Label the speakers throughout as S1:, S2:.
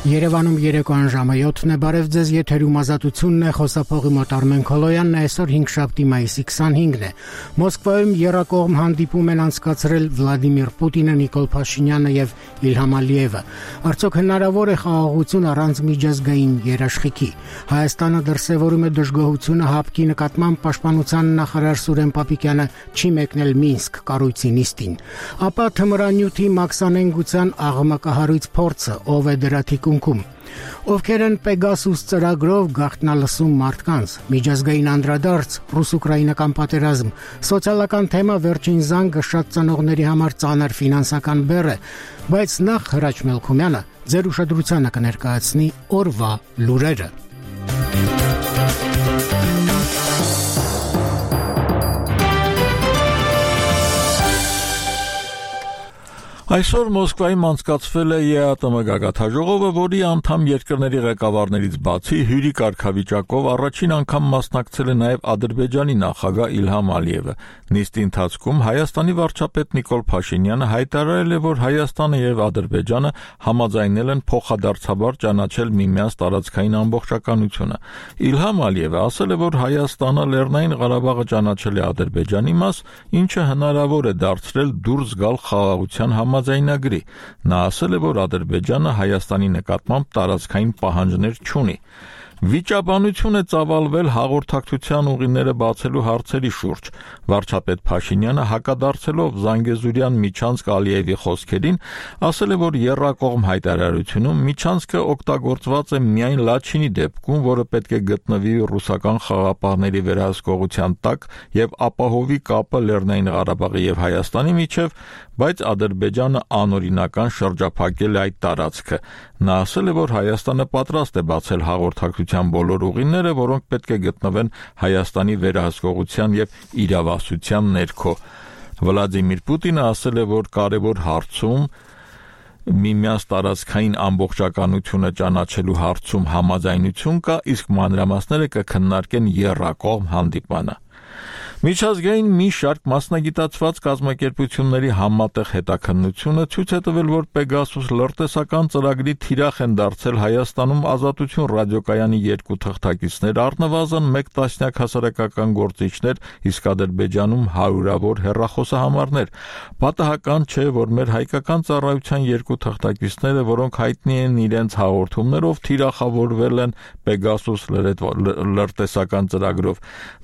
S1: Երևանում երեկոյան ժամը 7-ն է, բարև ձեզ, եթերում ազատությունն է, խոսափողի մոտ Արմեն Քոլոյանն է, այսօր 5-շաբթի մայիսի 25-ն է։ Մոսկվայում եռակողմ հանդիպում են անցկացրել Վլադիմիր Պուտինը, Նիկոլ Փաշինյանը եւ Իլհամ Ալիևը։ Արդյոք հնարավոր է խաղաղություն առանց միջազգային երաշխիքի։ Հայաստանը դրսևորում է դժգոհությունը ՀԱՊԿ-ի նկատմամբ պաշտպանության նախարար Սուրեն Պապիկյանը չի մեկնել Մինսկ կառույցի նիստին։ Ապա թմրանյութի մաքսանենգության աղմկահարույց փորձը, ով է դրա թիկունքում։ Ովքեր են Պեգասուս ծրագրով գաղտնալսում մարդկանց, միջազգային անդրադարձ, ռուս-ուկրաինական պատերազմ, սոցիալական թեմա, վերջին զանգը, շատ ծնողների համար ծանր ֆինանսական բեռ է, բայց նախ Հրաչ Մելքումյանը ձեր ուշադրությանը կներկայացնի օրվա լուրերը։
S2: Այսօր Մոսկվայում անցկացվել է ԵԱՏՄ գագաթնաժողովը, որի անդամ երկրների ղեկավարներից բացի հյուրի կարգավիճակով առաջին անգամ մասնակցել է նաև Ադրբեջանի նախագահ Իլհամ Ալիևը։ Նիստի ընթացքում Հայաստանի վարչապետ Նիկոլ Փաշինյանը հայտարարել է, որ Հայաստանը եւ Ադրբեջանը համաձայնել են փոխադարձաբար ճանաչել միմյանց տարածքային ամբողջականությունը։ Իլհամ Ալիևը ասել է, որ Հայաստանը Լեռնային Ղարաբաղը ճանաչել է Ադրբեջանի մաս, ինչը հնարավոր է դարձրել դուրս գալ խաղաղության համաձայնագրի։ Նա ասել է, որ Ադրբեջանը Հայաստանի նկատմամբ տարածքային պահանջներ չունի։ Վիճաբանություն է ծավալվել հաղորդակցության ուղիները բացելու հարցերի շուրջ։ Վարչապետ Փաշինյանը հակադարձելով Զանգեզուրյան միջանցք Ալիևի խոսքերին, ասել է, որ եռակողմ հայտարարությունում միջանցքը օգտագործված է միայն Լաչինի դեպքում, որը պետք է գտնվի ռուսական խաղապահների վերահսկողության տակ եւ ապահովի կապը Լեռնային Ղարաբաղի եւ Հայաստանի միջեւ, բայց Ադրբեջանը անօրինական շրջափակել է այդ տարածքը։ Նա ասել է, որ Հայաստանը պատրաստ է բացել հաղորդակցության բոլոր ուղիները, որոնք պետք է գտնվեն Հայաստանի վերահսկողության եւ իրավասության ներքո։ Վլադիմիր Պուտինը ասել է, որ կարևոր հարցում միմյանց տարածքային ամբողջականությունը ճանաչելու հարցում համաձայնություն կա, իսկ մանրամասները կքննարկեն եռակողմ հանդիպանը։ Միջազգային մի շարք մասնագիտացված կազմակերպությունների համատեղ հետաքննությունը ցույց է տվել, որ Պեգասուս լրտեսական ծրագրի թիրախ են դարձել Հայաստանում Ազատություն ռադիոկայանի 2 թղթակիցներ, առնվազն 1 տասնյակ հասարակական գործիչներ, իսկ Ադրբեջանում հարյուրավոր հեռախոսահամարներ։ Պատահական չէ, որ մեր հայկական ծառայության 2 թղթակիցները, որոնք հայտնի են իրենց հաղորդումներով, թիրախավորվել են Պեգասուս լրտեսական ծրագրով։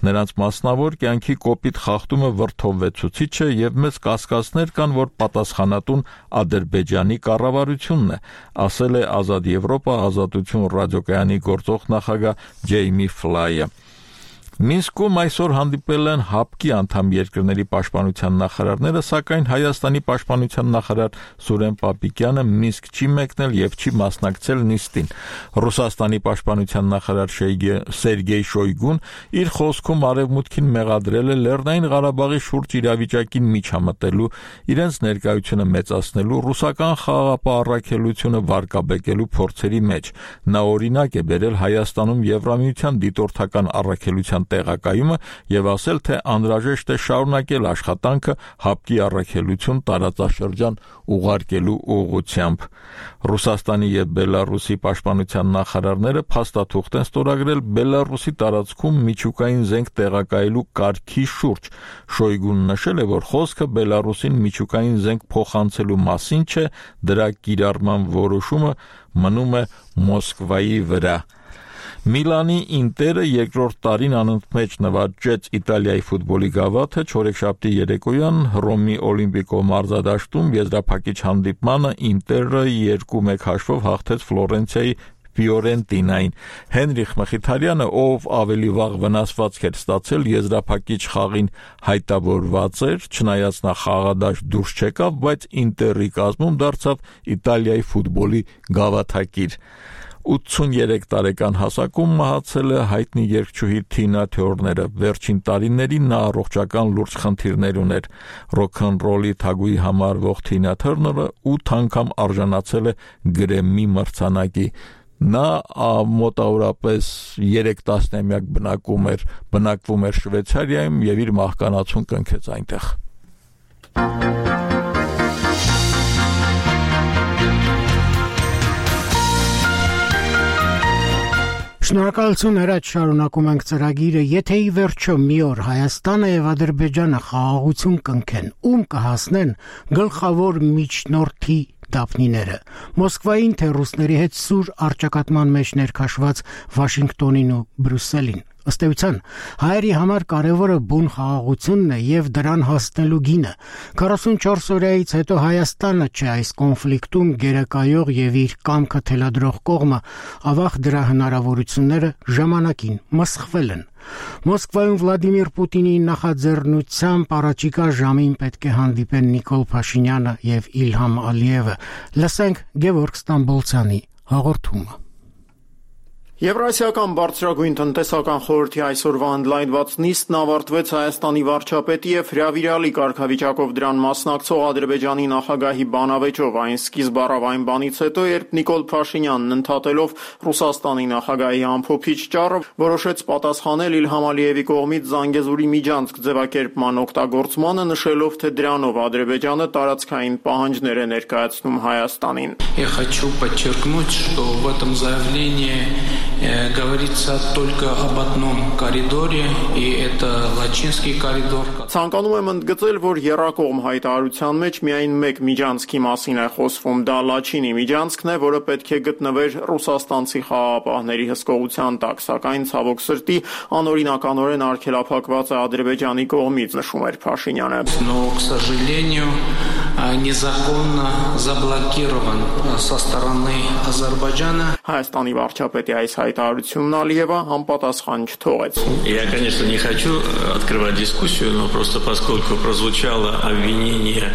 S2: Նրանց մասնավոր կյանքի կոպիտ խախտումը վրդովվեցուցիչ է եւ մեծ կասկածներ կան, որ պատասխանատուն Ադրբեջանի կառավարությունն է, ասել է Ազատ Եվրոպա Ազատություն ռադիոկայանի գործող նախագահ Ջեյմի Ֆլայը։ Մինսկում այսօր հանդիպել են ՀԱՊԿ-ի անդամ երկրների պաշտպանության նախարարները, սակայն Հայաստանի պաշտպանության նախարար Սուրեն Պապիկյանը Մինսկ չի մեկնել եւ չի մասնակցել նիստին։ Ռուսաստանի պաշտպանության նախարար Սերգեյ Շոյգուն իր խոսքում արևմուտքին մեղադրել է Լեռնային Ղարաբաղի շուրջ իրավիճակին միջամտելու, իրենց ներկայությունը մեծացնելու, ռուսական խաղաղապահ առաքելությունը վարկաբեկելու փորձերի մեջ։ Նա օրինակ է բերել Հայաստանում Եվրամիության դիտորդական առաքելության տեղակայումը եւ ասել, թե անհրաժեշտ է շարունակել աշխատանքը ՀԱՊԿ-ի առաքելություն տարածաշրջան ուղարկելու ուղղությամբ։ Ռուսաստանի եւ Բելարուսի պաշտպանության նախարարները փաստաթուղթ են ստորագրել Բելարուսի տարածքում միջուկային զենք տեղակայելու կարգի շուրջ։ Շոյգուն նշել է, որ խոսքը Բելարուսին միջուկային զենք փոխանցելու մասին չէ, դրա կիրառման որոշումը մնում է Մոսկվայի վրա։ Միլանի Ինտերը երկրորդ տարին անընդմեջ նվաճեց Իտալիայի ֆուտբոլի գավաթը, չորեքշաբթի երեկոյան Հռոմի Օլիմպիկո մարզադաշտում եզրափակիչ հանդիպմանը Ինտերը 2-1 հաշվով հաղթեց Ֆլորենցիայի Ֆիորենտինային։ Հենրիխ Մխիթարյանը, ով ավելի վաղ վնասվածք էր ստացել, եզրափակիչ խաղին հայտավորված էր, չնայած նա խաղադաշտ դուրս չեկավ, բայց Ինտերի կազմում դարձավ Իտալիայի ֆուտբոլի գավաթակիր։ 83 տարեկան հասակում մահացել է հայտնի երգչուհի Թինա Թյորները։ Վերջին տարիներին նա առողջական լուրջ խնդիրներ ուներ։ Ռոքնռոլի թագուհի համարվող Թինա Թյորները 8 անգամ արժանացել է Գրեմմի մրցանակի։ Նա մոտավորապես 3 տասնամյակ բնակվում էր Շվեյցարիայում եւ իր մահկանացուն կնքեց այնտեղ։
S1: Շնորհակալություն Հրաչ, շարունակում ենք ծրագիրը, եթե ի վերջո մի օր Հայաստանը եւ Ադրբեջանը խաղաղություն կնքեն, ում կհասնեն գլխավոր միջնորդի դափնիները, Մոսկվային թե ռուսների հետ սուր առճակատման մեջ ներքաշված Վաշինգտոնին ու Բրյուսելին։ Ըստ էության, հայերի համար կարևորը բուն խաղաղությունն է եւ դրան հասնելու գինը։ 44 օրից հետո Հայաստանը չէ այս կոնֆլիկտում գերակայող եւ իր կամքը թելադրող կողմը, ավաղ դրա հնարավորությունները ժամանակին մսխվել են։ Մոսկվայում Վլադիմիր Պուտինի նախաձեռնությամբ առաջիկա ժամին պետք է հանդիպեն Նիկոլ Փաշինյանը եւ Իլհամ Ալիևը։ Լսենք Գևորգ Ստամբոլցյանի հաղորդումը։
S3: Եվրասիական բարձրագույն տնտեսական խորհրդի այսօրվա ընդլայնված նիստն ավարտվեց Հայաստանի վարչապետի եւ հրավիրալի կարգավիճակով դրան մասնակցող Ադրբեջանի նախագահի բանավեճով։ Այն սկիզբ առավ այն բանից հետո, երբ Նիկոլ Փաշինյանն ընդհատելով Ռուսաստանի նախագահի ամփոփիչ ճառը, որոշեց պատասխանել Իլհամ Ալիևի կողմից Զանգեզուրի միջանցք ձևակերպման օգտագործմանը, նշելով, թե դրանով Ադրբեջանը տարածքային պահանջներ է ներկայացնում Հայաստանին։
S4: Я хочу подчеркнуть, что в этом заявлении говорится только об одном коридоре, и это Лачинский коридор.
S3: Ցանկանում եմ ընդգծել, որ եռակողմ հայտարարության մեջ միայն մեկ միջանցքի մասին է խոսվում, դա Լաչինի միջանցքն է, որը պետք է գտնվեր ռուսաստանցի խաղաղապահների հսկողության տակ, սակայն ցավոք սրտի անօրինականորեն արգելափակված է Ադրբեջանի կողմից, նշում էր Փաշինյանը։
S4: Но, к сожалению, незаконно заблокирован со стороны Азербайджана.
S3: Հայաստանի վարչապետի այս հայտարարությունն Ալիևը համապատասխան չթողեց։
S5: Я, конечно, не хочу открывать дискуссию, но просто поскольку прозвучало обвинение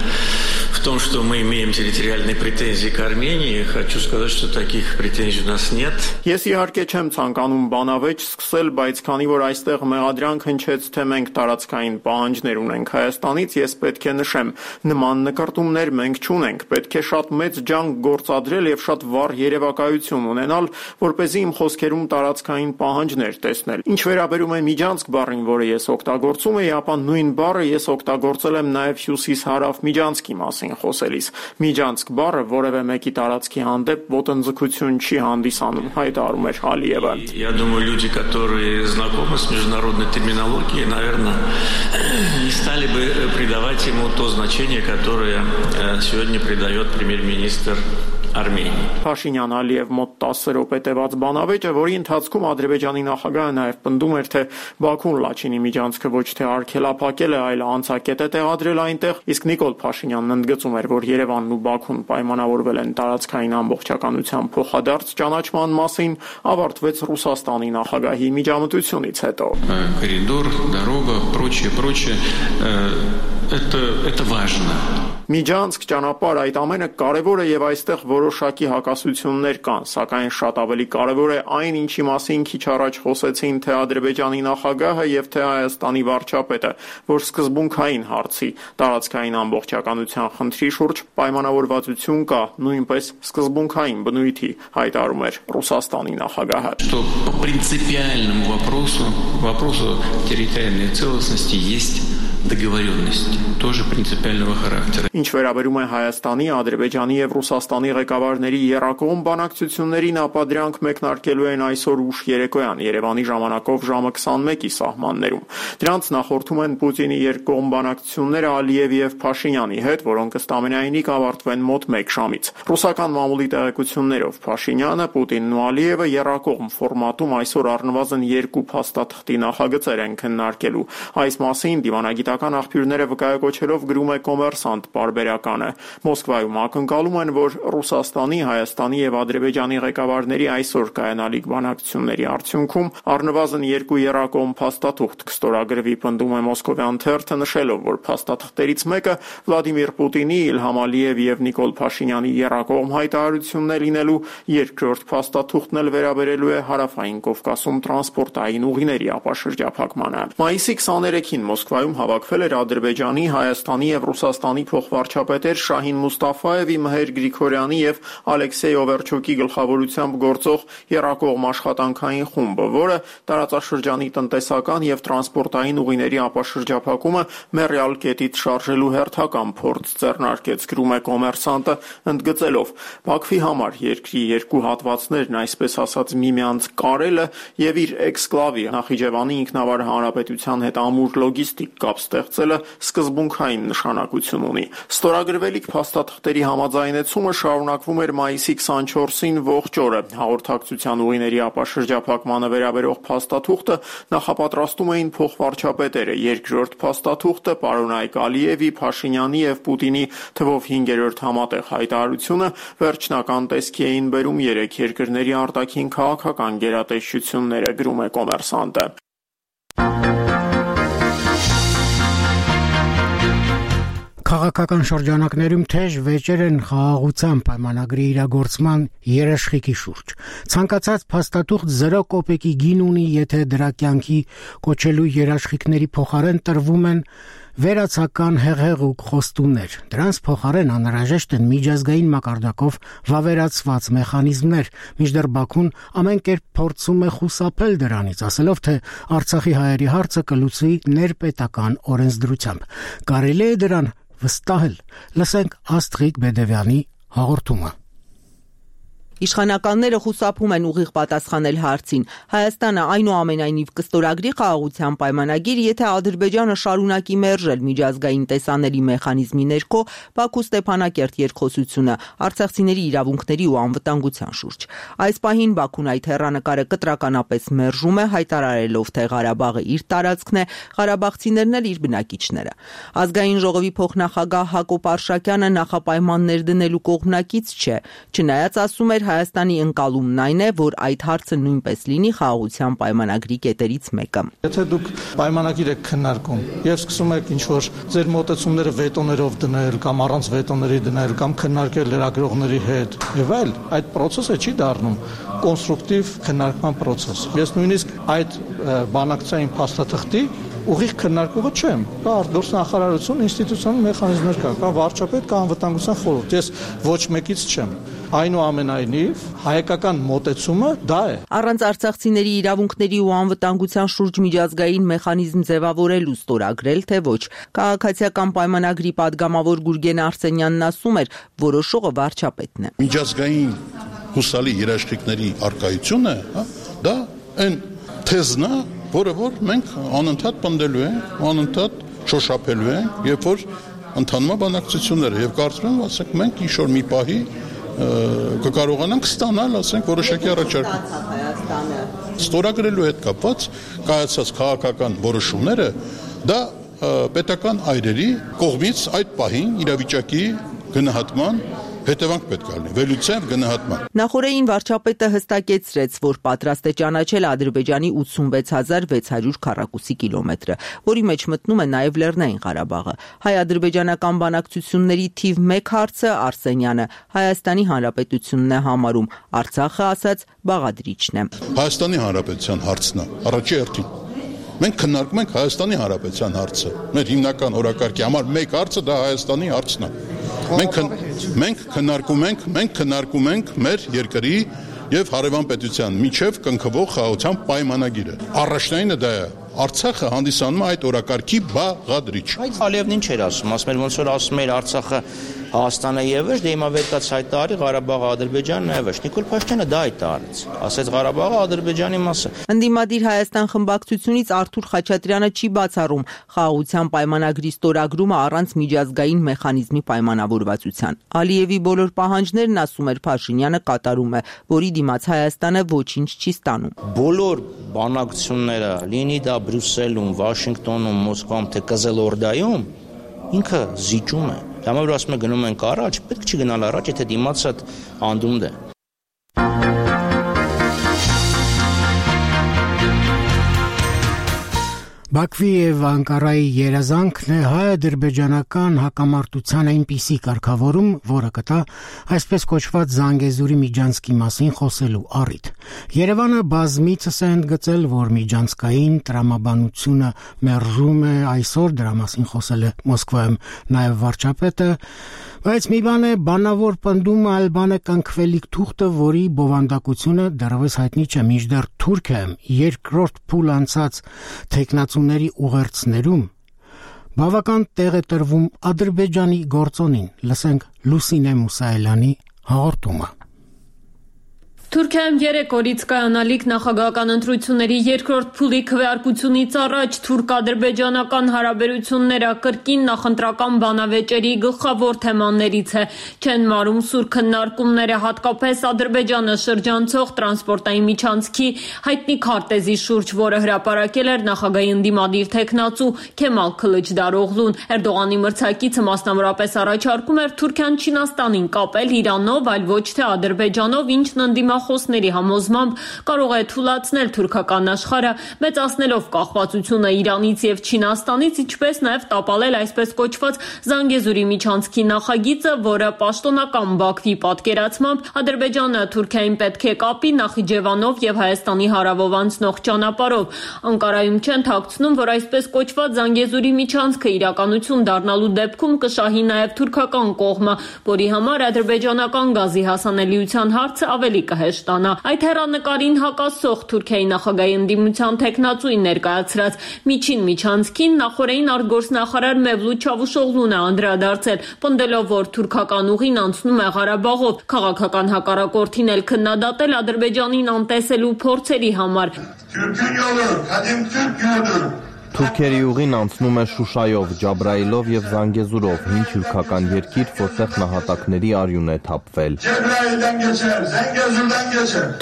S5: в том, что мы имеем территориальные претензии к Армении, хочу сказать, что таких претензий у нас нет.
S3: Ես իհարկե չեմ ցանկանում բանավեճ սկսել, բայց քանի որ այստեղ մեղադրանք հնչեց, թե մենք տարածքային պահանջներ ունենք Հայաստանից, ես պետք է նշեմ, նման նկարտումներ մենք չունենք, պետք է շատ մեծ ջանք գործադրել եւ շատ վառ երևակայություն ունենալ, որպեսզի իմ խոսքերում տարածքային պահանջներ տեսնել։ Ինչ վերաբերում է միջանցք բառին, որը ես օգտագործում եի, ապա նույն բառը ես օգտագործել եմ նաեւ հյուսիս-հարավ միջանցքի մասին խոսելիս։ Միջանցք բառը որևէ մեկի տարածքի հանդեպ ոտնձգություն չի հանդիսանում, հայտարարում էր Ալիևը։
S5: Я думаю, люди, которые знакомы с международной терминологией, наверное, не стали бы придавать ему то значение, которое сегодня придает премьер-министр Արմենիա։
S3: Փաշինյան Ալիև մոտ 10 րոպե տևած բանավեճը, որի ընթացքում Ադրբեջանի նախագահը նաև պնդում էր, թե Բաքուն Լաչինի միջանցքը ոչ թե արգելափակել է, այլ անցակետ է տեղադրել այնտեղ, իսկ Նիկոլ Փաշինյանն ընդգծում էր, որ Երևանն ու Բաքուն պայմանավորվել են տարածքային ամբողջականության փոխադարձ ճանաչման մասին, ավարտվեց Ռուսաստանի նախագահի միջամտությունից հետո։
S4: Коридор, дорога, прочее, это важно.
S3: Միջանցք, ճանապարհ, այդ ամենը կարևոր է եւ այստեղ որոշակի հակասություններ կան, սակայն շատ ավելի կարևոր է այն, ինչի մասին քիչ առաջ խոսեցին թե Ադրբեջանի նախագահը եւ թե Հայաստանի վարչապետը, որ սկզբունքային հարցի տարածքային ամբողջականության խնդրի շուրջ պայմանավորվածություն կա, նույնպես սկզբունքային բնույթի, հայտարարում էր Ռուսաստանի նախագահը։
S4: Что по принципиальному вопросу территориальной целостности есть договоренность, тоже принципиального характера.
S3: Ինչ վերաբերում է Հայաստանի, Ադրբեջանի եւ Ռուսաստանի ղեկավարների եռակողմ բանակցություններին, ապա դրանք մեկնարկելու են այսօր ուշ երեկոյան Երևանի ժամանակով ժամը 21-ի սահմաններում։ Դրանց նախորդում են Պուտինի երկկողմ բանակցությունները Ալիևի եւ Փաշինյանի հետ, որոնք ըստ ամենայնի կավարտվեն մոտ 1 ժամից։ Ռուսական մամուլի տեղեկություններով Փաշինյանը, Պուտինն ու Ալիևը եռակողմ ֆորմատում այսօր առնվազն 2 փաստաթղթի նախագծեր են քննարկելու։ Այս մասին դիվանագիտական աղբյուրները վկայակոչելով գրում է Կոմերսանտ պարբերականը։ Մոսկվայում ակնկալում են, որ Ռուսաստանի, Հայաստանի եւ Ադրբեջանի ղեկավարների այսօր կայանալիք բանակցությունների արդյունքում առնվազն 2 եռակողմ փաստաթուղթ կստորագրվի, պնդում է Մոսկովյան թերթը, նշելով, որ փաստաթղթերից մեկը Վլադիմիր Պուտինի, Իլհամ Ալիևի եւ Նիկոլ Փաշինյանի եռակողմ հայտարարությունն է լինելու, երկրորդ փաստաթուղթն էլ վերաբերելու է Հարավային Կովկասում տրանսպորտային ուղիների ապաշրջափակմանը։ Մայիսի 23-ին Մոսկվայում հավաքվել հավաքվել էր Ադրբեջանի, Հայաստանի եւ Ռուսաստանի փոխվարչապետեր Շահին Մուստաֆաևի, Մհեր Գրիգորյանի եւ Ալեքսեյ Օվերչոկի գլխավորությամբ գործող եռակողմ աշխատանքային խումբը, որը տարածաշրջանի տնտեսական եւ տրանսպորտային ուղիների ապաշրջափակումը մեռյալ կետից շարժելու հերթական փորձ ձեռնարկեց, գրում է Կոմերսանտը, ընդգծելով. Բաքվի համար երկրի երկու հատվածներն, այսպես ասած, միմյանց կարելը եւ իր էքսկլավի Նախիջևանի ինքնավար հանրապետության հետ ամուր լոգիստիկ կապ ստեղծելը սկզբունքային նշանակություն ունի։ Ստորագրվելիք փաստաթղթերի համաձայնեցումը շարունակվում էր մայիսի 24-ին ողջ օրը։ Հաղորդակցության ուղիների ապաշրջափակմանը վերաբերող փաստաթուղթը նախապատրաստում էին փոխվարչապետերը, երկրորդ փաստաթուղթը պարոն Ալիևի, Փաշինյանի եւ Պուտինի թվով 5-րդ համատեղ հայտարարությունը վերջնական տեսքի էին բերում երեք երկրների արտաքին քաղաքական գերատեսչությունները, գրում է Կոմերսանտը։
S1: Քաղաքական շրջանակներում թեժ վեճեր են խաղաղության պայմանագրի իրագործման երաշխիքի շուրջ։ Ցանկացած փաստաթուղթ 0 կոպեկի գին ունի, եթե դրա կյանքի կոչելու երաշխիքների փոխարեն տրվում են վերացական հեղեղուկ խոստումներ։ Դրանց փոխարեն անհրաժեշտ են միջազգային մակարդակով վավերացված մեխանիզմներ, մինչդեռ Բաքուն ամեն կերպ փորձում է խուսափել դրանից, ասելով, թե Արցախի հայերի հարցը կլուծվի ներպետական օրենսդրությամբ։ Կարելի է դրան վստահել։ Լսենք Աստղիկ Բեդևյանի հաղորդումը։
S6: Իշխանականները խուսափում են ուղիղ պատասխանել հարցին։ Հայաստանը այնուամենայնիվ կստորագրի խաղաղության պայմանագիր, եթե Ադրբեջանը շարունակի մերժել միջազգային տեսանելի մեխանիզմի ներքո Բաքու Ստեփանակերտ երկխոսությունը արցախցիների իրավունքների ու անվտանգության շուրջ։ Այս պահին Բաքուն այդ հեռանկարը կտրականապես մերժում է, հայտարարելով, թե Ղարաբաղը իր տարածքն է, ղարաբաղցիներն էլ իր բնակիչները։ Ազգային ժողովի փոխնախագահ Հակոբ Արշակյանը նախապայմաններ դնելու կողմնակից չէ, չնայած ասում էր Հայաստանի ընկալումն այն է, որ այդ հարցը նույնպես լինի խաղաղության պայմանագրի կետերից մեկը։
S7: Եթե դուք պայմանագիր եք քննարկում եւ սկսում եք ինչ-որ ձեր մոտեցումները վետոներով դնել կամ առանց վետոների դնել կամ քննարկել լրագրողների հետ եւ այլ, այդ process-ը չի դառնում կոնստրուկտիվ քննարկման process։ Ես նույնիսկ այդ բանակցային փաստաթղթի ուղիղ քննարկողը չեմ։ Կա արտգործնախարարություն, ինստիտուցիոնալ մեխանիզմներ կա վարչապետ, կա անվտանգության խորհուրդ։ Ես ոչ մեկից չեմ։ Այնուամենայնիվ հայկական մոտեցումը դա է։
S6: Առանց արցախցիների իրավունքների ու անվտանգության շուրջ միջազգային մեխանիզմ ձևավորելու ստորագրել, թե ոչ։ Քաղաքացիական պայմանագրի падգամավոր Գուրգեն Արսենյանն ասում էր, որոշողը վարչապետն է։
S8: Միջազգային հուսալի երաշխիքների արկայությունը, դա այն թեզն է, որը որ մենք անընդհատ պնդելու ենք, անընդհատ շոշափելու ենք, երբ որ ընդհանուր բանակցությունները եւ կարծում եմ, ասենք մենք ինչ-որ մի պահի կկարողանանք ստանալ, ասենք, որոշակի առաջարկում։ Ստորագրելու հետ կապված կայացած քաղաքական որոշումները դա պետական այրերի կողմից այդ պահին իրավիճակի գնահատման հետևանք պետք է լինի, վերլուծության գնահատման։
S6: Նախորդին վարչապետը հստակեցրեց, որ պատրաստ է ճանաչել Ադրբեջանի 86600 քառակուսի կիլոմետրը, որի մեջ մտնում է նաև Լեռնային Ղարաբաղը։ Հայ-ադրբեջանական բանակցությունների թիվ 1 հարցը Արսենյանը Հայաստանի Հանրապետությունն է համարում, Արցախը ասաց բաղադրիչն է։
S8: Հայաստանի Հանրապետության հարցն է, առաջի հերթին։ Մենք քննարկում ենք Հայաստանի Հանրապետության հարցը։ Մեր հիմնական օրակարգի համար մեկ հարցը դա Հայաստանի հարցն է։ Մենք քննարկում ենք մեր երկրի եւ հարևան պետության միջև կնքվող խաղաղության պայմանագիրը։ Առաջնայինը դա է։ Արցախը հանդիսանում է այդ օրակարգի բաղադրիչ։
S9: Ալիևն ինչ էր ասում, ասում էր ոնց որ ասում էր Արցախը Հայաստանը եւս, դե հիմա վերկաց հայտարարի Ղարաբաղը Ադրբեջանն է եւս։ Նիկոլ Փաշինյանը դա հայտարարեց։ Ասեց Ղարաբաղը Ադրբեջանի մասը։
S6: Ընդդիմադիր Հայաստան խմբակցությունից Արթուր Խաչատրյանը չի բացառում խաղաղության պայմանագրի ստորագրումը առանց միջազգային մեխանիզմի պայմանավորվածության։ Ալիևի բոլոր պահանջներն, ասում էր Փաշինյանը, կատարում է, որի դիմաց Հայաստանը ոչինչ չի ստանում։
S9: Բոլոր բանակցությունները, լինի դա Բրյուսելում, Վաշինգտոնում, Մոսկվայում, թե Կզելորդայում, ինքը զիջում է։ Դա որ ասում է գնում ենք առաջ, պետք չի գնալ առաջ, եթե դիմացը անդունդ է։
S1: Բաքվի եւ Անկարայի երազանքն է հայ-ադրբեջանական հակամարտության այնպիսի կարգավորում, որը կտա այսպես կոչված Զանգեզուրի միջանցքի մասին խոսելու առիթ։ Երևանը բազմիցս է ընդգծել, որ միջանցքային տրամաբանությունը մերժում է, այսօր դրա մասին խոսել է Մոսկվայում նաեւ վարչապետը, բայց մի բան է բանավոր պնդումը, այլ բան է կնքվելիք թուղթը, որի բովանդակությունը դեռևս հայտնի չէ, մինչդեռ Թուրքիայում երկրորդ փուլ անցած թեկնածուների ուղերձներում բավական տեղ է տրվում Ադրբեջանի գործոնին։ Լսենք Լուսինե Մուսայելյանի հաղորդումը։
S10: Թուրքիայում 3 օրից կայանալիք նախագահական ընտրությունների երկրորդ փուլի քվեարկությունից առաջ թուրք-ադրբեջանական հարաբերությունները կրկին նախընտրական բանավեճերի գլխավոր թեմաներից է։ Չեն մարում սուր քննարկումները, հատկապես Ադրբեջանը շրջանցող տրանսպորտային միջանցքի հայտնի քարտեզի շուրջ, որը հրապարակել էր նախագահի ընդդիմադիր թեկնածու Քեմալ Քլիչդարօղլուն։ Էրդողանի մրցակիցը մասնավորապես առաջարկում էր Թուրքիան Չինաստանին կապել Իրանով, այլ ոչ թե Ադրբեջանով, ինչն ընդդիմախոսների համոզմամբ կարող է թուլացնել թուրքական աշխարհը, մեծացնելով կախվածությունը Իրանից եւ Չինաստանից, ինչպես նաեւ տապալել այսպես կոչված Զանգեզուրի միջանցքի նախագիծը, որը պաշտոնական Բաքվի պատկերացմամբ Ադրբեջանը Թուրքիային պետք է կապի Նախիջևանով եւ Հայաստանի հարավով անցնող ճանապարհով։ Անկարայում չեն թաքցնում, որ այսպես կոչված Զանգեզուրի միջանցքը իրականություն դառնալու դեպքում կշահի նաեւ թուրքական կողմը, որի համար ադրբեջանական գազի հասանելիության հարցը ավելի կհեշտանա։ Այդ հեռանկարին հակասող Թուրքիայի նախագահի ընդդիմության թեկնածուին ներկայացրած միջին միջանցքին նախորդին արտգործնախարար Մևլութ Չավուշօղլուն է անդրադարձել, պնդելով, որ թուրքական ուղին անցնում է Ղարաբաղով, քաղաքական հակառակորդին էլ քննադատել Ադրբեջանին անտեսելու փորձերի համար։
S11: Թուրքերի ուղին անցնում է Շուշայով, Ջաբրայիլով եւ Զանգեզուրով, հին թուրքական երկիր, որտեղ նահատակների արյուն է թափվել։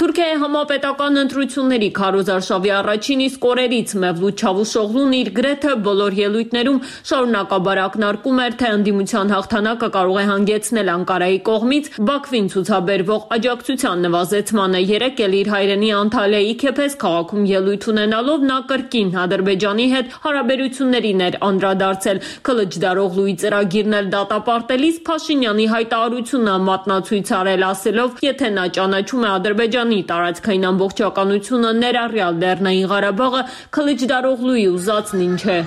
S10: Թուրքիայի համապետական ընտրությունների քարոզարշավի առաջին իսկ օրերից Մևլութ Չավուշօղլուն իր գրեթե բոլոր ելույթներում շարունակաբար ակնարկում էր, թե ընդդիմության հաղթանակը կարող է հանգեցնել Անկարայի կողմից Բաքվին ցուցաբերվող աջակցության նվազեցմանը։ Երեկ էլ իր հայրենի Անտալիայի Քեփես քաղաքում ելույթ ունենալով նա կրկին Ադրբեջանի հետ հարաբերություններին էր անդրադարձել։ Քլիչդարօղլուի ծրագիրն էլ դատապարտելիս Փաշինյանի հայտարարությունը մատնացույց արել, ասելով, եթե նա ճանաչում է Ադրբեջանի տարածքային ամբողջականությունը, ներառյալ Լեռնային Ղարաբաղը, Քլիչդարօղլուի ուզածն ինչ է։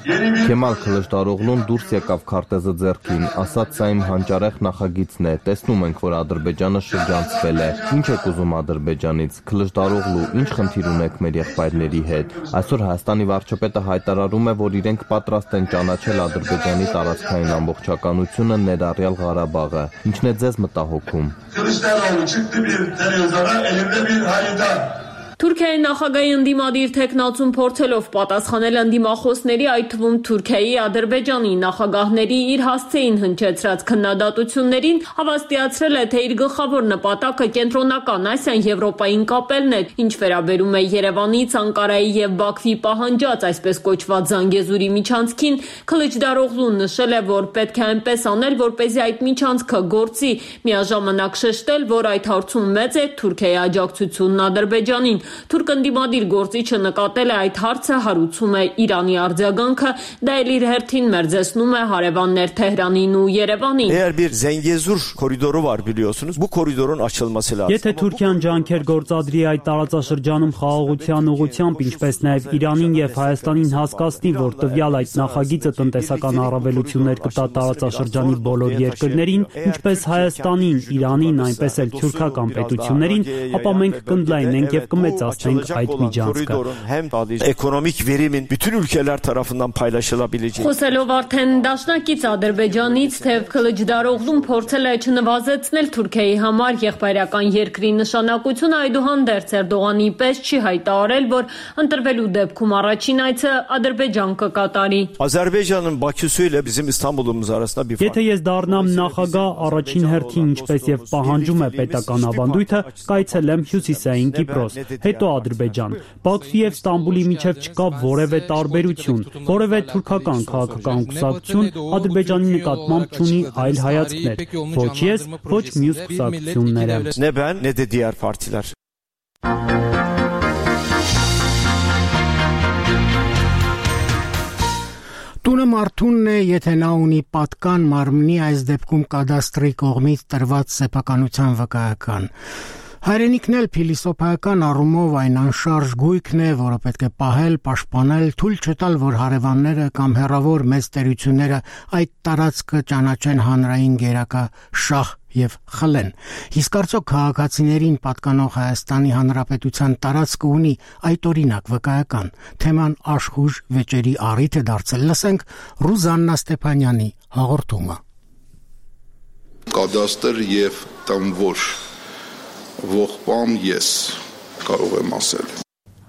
S11: Քեմալ Քլիչդարօղլուն դուրս եկավ քարտեզը ձեռքին, ասաց սա իմ հանճարեղ նախագիծն է, տեսնում ենք, որ Ադրբեջանը շրջանցվել է։ Ինչ եք ուզում Ադրբեջանից, Քլիչդարօղլու, ինչ խնդիր ունեք մեր եղբայրների հետ։ Այսօր Հայաստանի վարչապետը հայտարարում է, որ իրենք պատրաստ են ճանաչել Ադրբեջանի տարածքային ամբողջականությունը, ներառյալ Ղարաբաղը։ Ինչն է ձեզ մտահոգում։
S10: Թուրքիայի նախագահի ընդդիմադիր թեկնածուն փորձելով պատասխանել ընդդիմախոսների, այդ թվում Թուրքիայի, Ադրբեջանի նախագահների իր հասցեին հնչեցրած քննադատություններին, հավաստիացրել է, թե իր գլխավոր նպատակը կենտրոնական Ասիան Եվրոպային կապելն է, ինչ վերաբերում է Երևանից Անկարայի եւ Բաքվի պահանջած այսպես կոչված Զանգեզուրի միջանցքին, Քլիչդարօղլուն նշել է, որ պետք է այնպես անել, որպեսզի այդ միջանցքը գործի, միաժամանակ շեշտել, որ այդ հարցում մեծ է Թուրքիայի աջակցությունն Ադրբեջանին։ Թուրք ընդդիմադիր գործիչը նկատել է այդ հարցը հարուցում է Իրանի արձագանքը, դա էլ իր հերթին մերձեցնում է հարևաններ Թեհրանին ու Երևանին։
S12: Եթե Թուրքիան ջանքեր գործադրի այդ տարածաշրջանում խաղաղության ուղղությամբ, ինչպես նաև Իրանին եւ Հայաստանին հասկացնի, որ տվյալ այդ նախագիծը տնտեսական առավելություններ կտա տարածաշրջանի բոլոր երկրներին, ինչպես Հայաստանին, Իրանին, այնպես էլ թուրքական պետություններին, ապա մենք կընդլայնենք եւ կմեծացնենք այդ միջանցքը։
S10: Խոսելով արդեն դաշնակից Ադրբեջանից, թեև Քլիչդարօղլուն փորձել է չնվազեցնել Թուրքիայի համար եղբայրական երկրի նշանակությունը, այդուհանդերձ Էրդողանի պես չի հայտարարել, որ ընտրվելու դեպքում առաջին այցը Ադրբեջան կկատարի։
S12: Եթե ես դառնամ նախագահ, առաջին հերթին, ինչպես եւ պահանջում է պետական ավանդույթը, կայցելեմ Հյուսիսային Կիպրոս, հետո Ադրբեջան։ Բաքվի եւ Ստամբուլի միջև չկա որևէ տարբերություն, որևէ թուրքական քաղաքական կուսակցություն Ադրբեջանի նկատմամբ չունի այլ հայացքներ, ոչ ես, ոչ մյուս կուսակցությունները։
S1: Տունը մարդունն է, եթե նա ունի պատկան մարմնի, այս դեպքում կադաստրի կողմից տրված սեփականության վկայական։ Հայրենիքն էլ փիլիսոփայական առումով այն անշարժ գույքն է, որը պետք է պահել, պաշտպանել, թույլ չտալ, որ հարևանները կամ հեռավոր մեծ տերությունները այդ տարածքը ճանաչեն հանրային գերակա շահ եւ խլեն։ Իսկ արդյոք քաղաքացիներին պատկանող Հայաստանի Հանրապետության տարածքը ունի այդ օրինակ վկայական։ Թեման աշխուժ վեճերի առիթ է դարձել։ Լսենք Ռուզաննա Ստեփանյանի հաղորդումը։
S8: Կադաստր եւ տամվոր ողբամ ես կարող եմ ասել։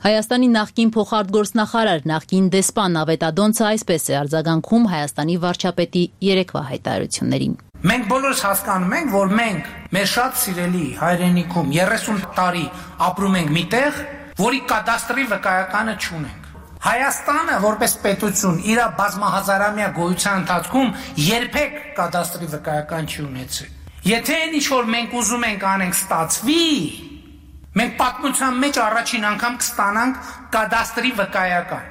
S13: Հայաստանի նախկին փոխարտգործնախարար, նախկին դեսպան Ավետադոնցը այսպես է արձագանքում Հայաստանի վարչապետի երեկվա հայտարարություններին։
S14: Մենք բոլորս հասկանում ենք, որ մենք մեր շատ սիրելի հայրենիքում 30 տարի ապրում ենք միտեղ, որի կադաստրի վկայականը չունենք։ Հայաստանը որպես պետություն իր բազմահազարամյա գոյության ընթացքում երբեք կադաստրի վկայական չի ունեցել։ Եթե այն ինչ որ մենք ուզում ենք անենք ստացվի, մենք պատմության մեջ առաջին անգամ կստանանք կադաստրի վկայական։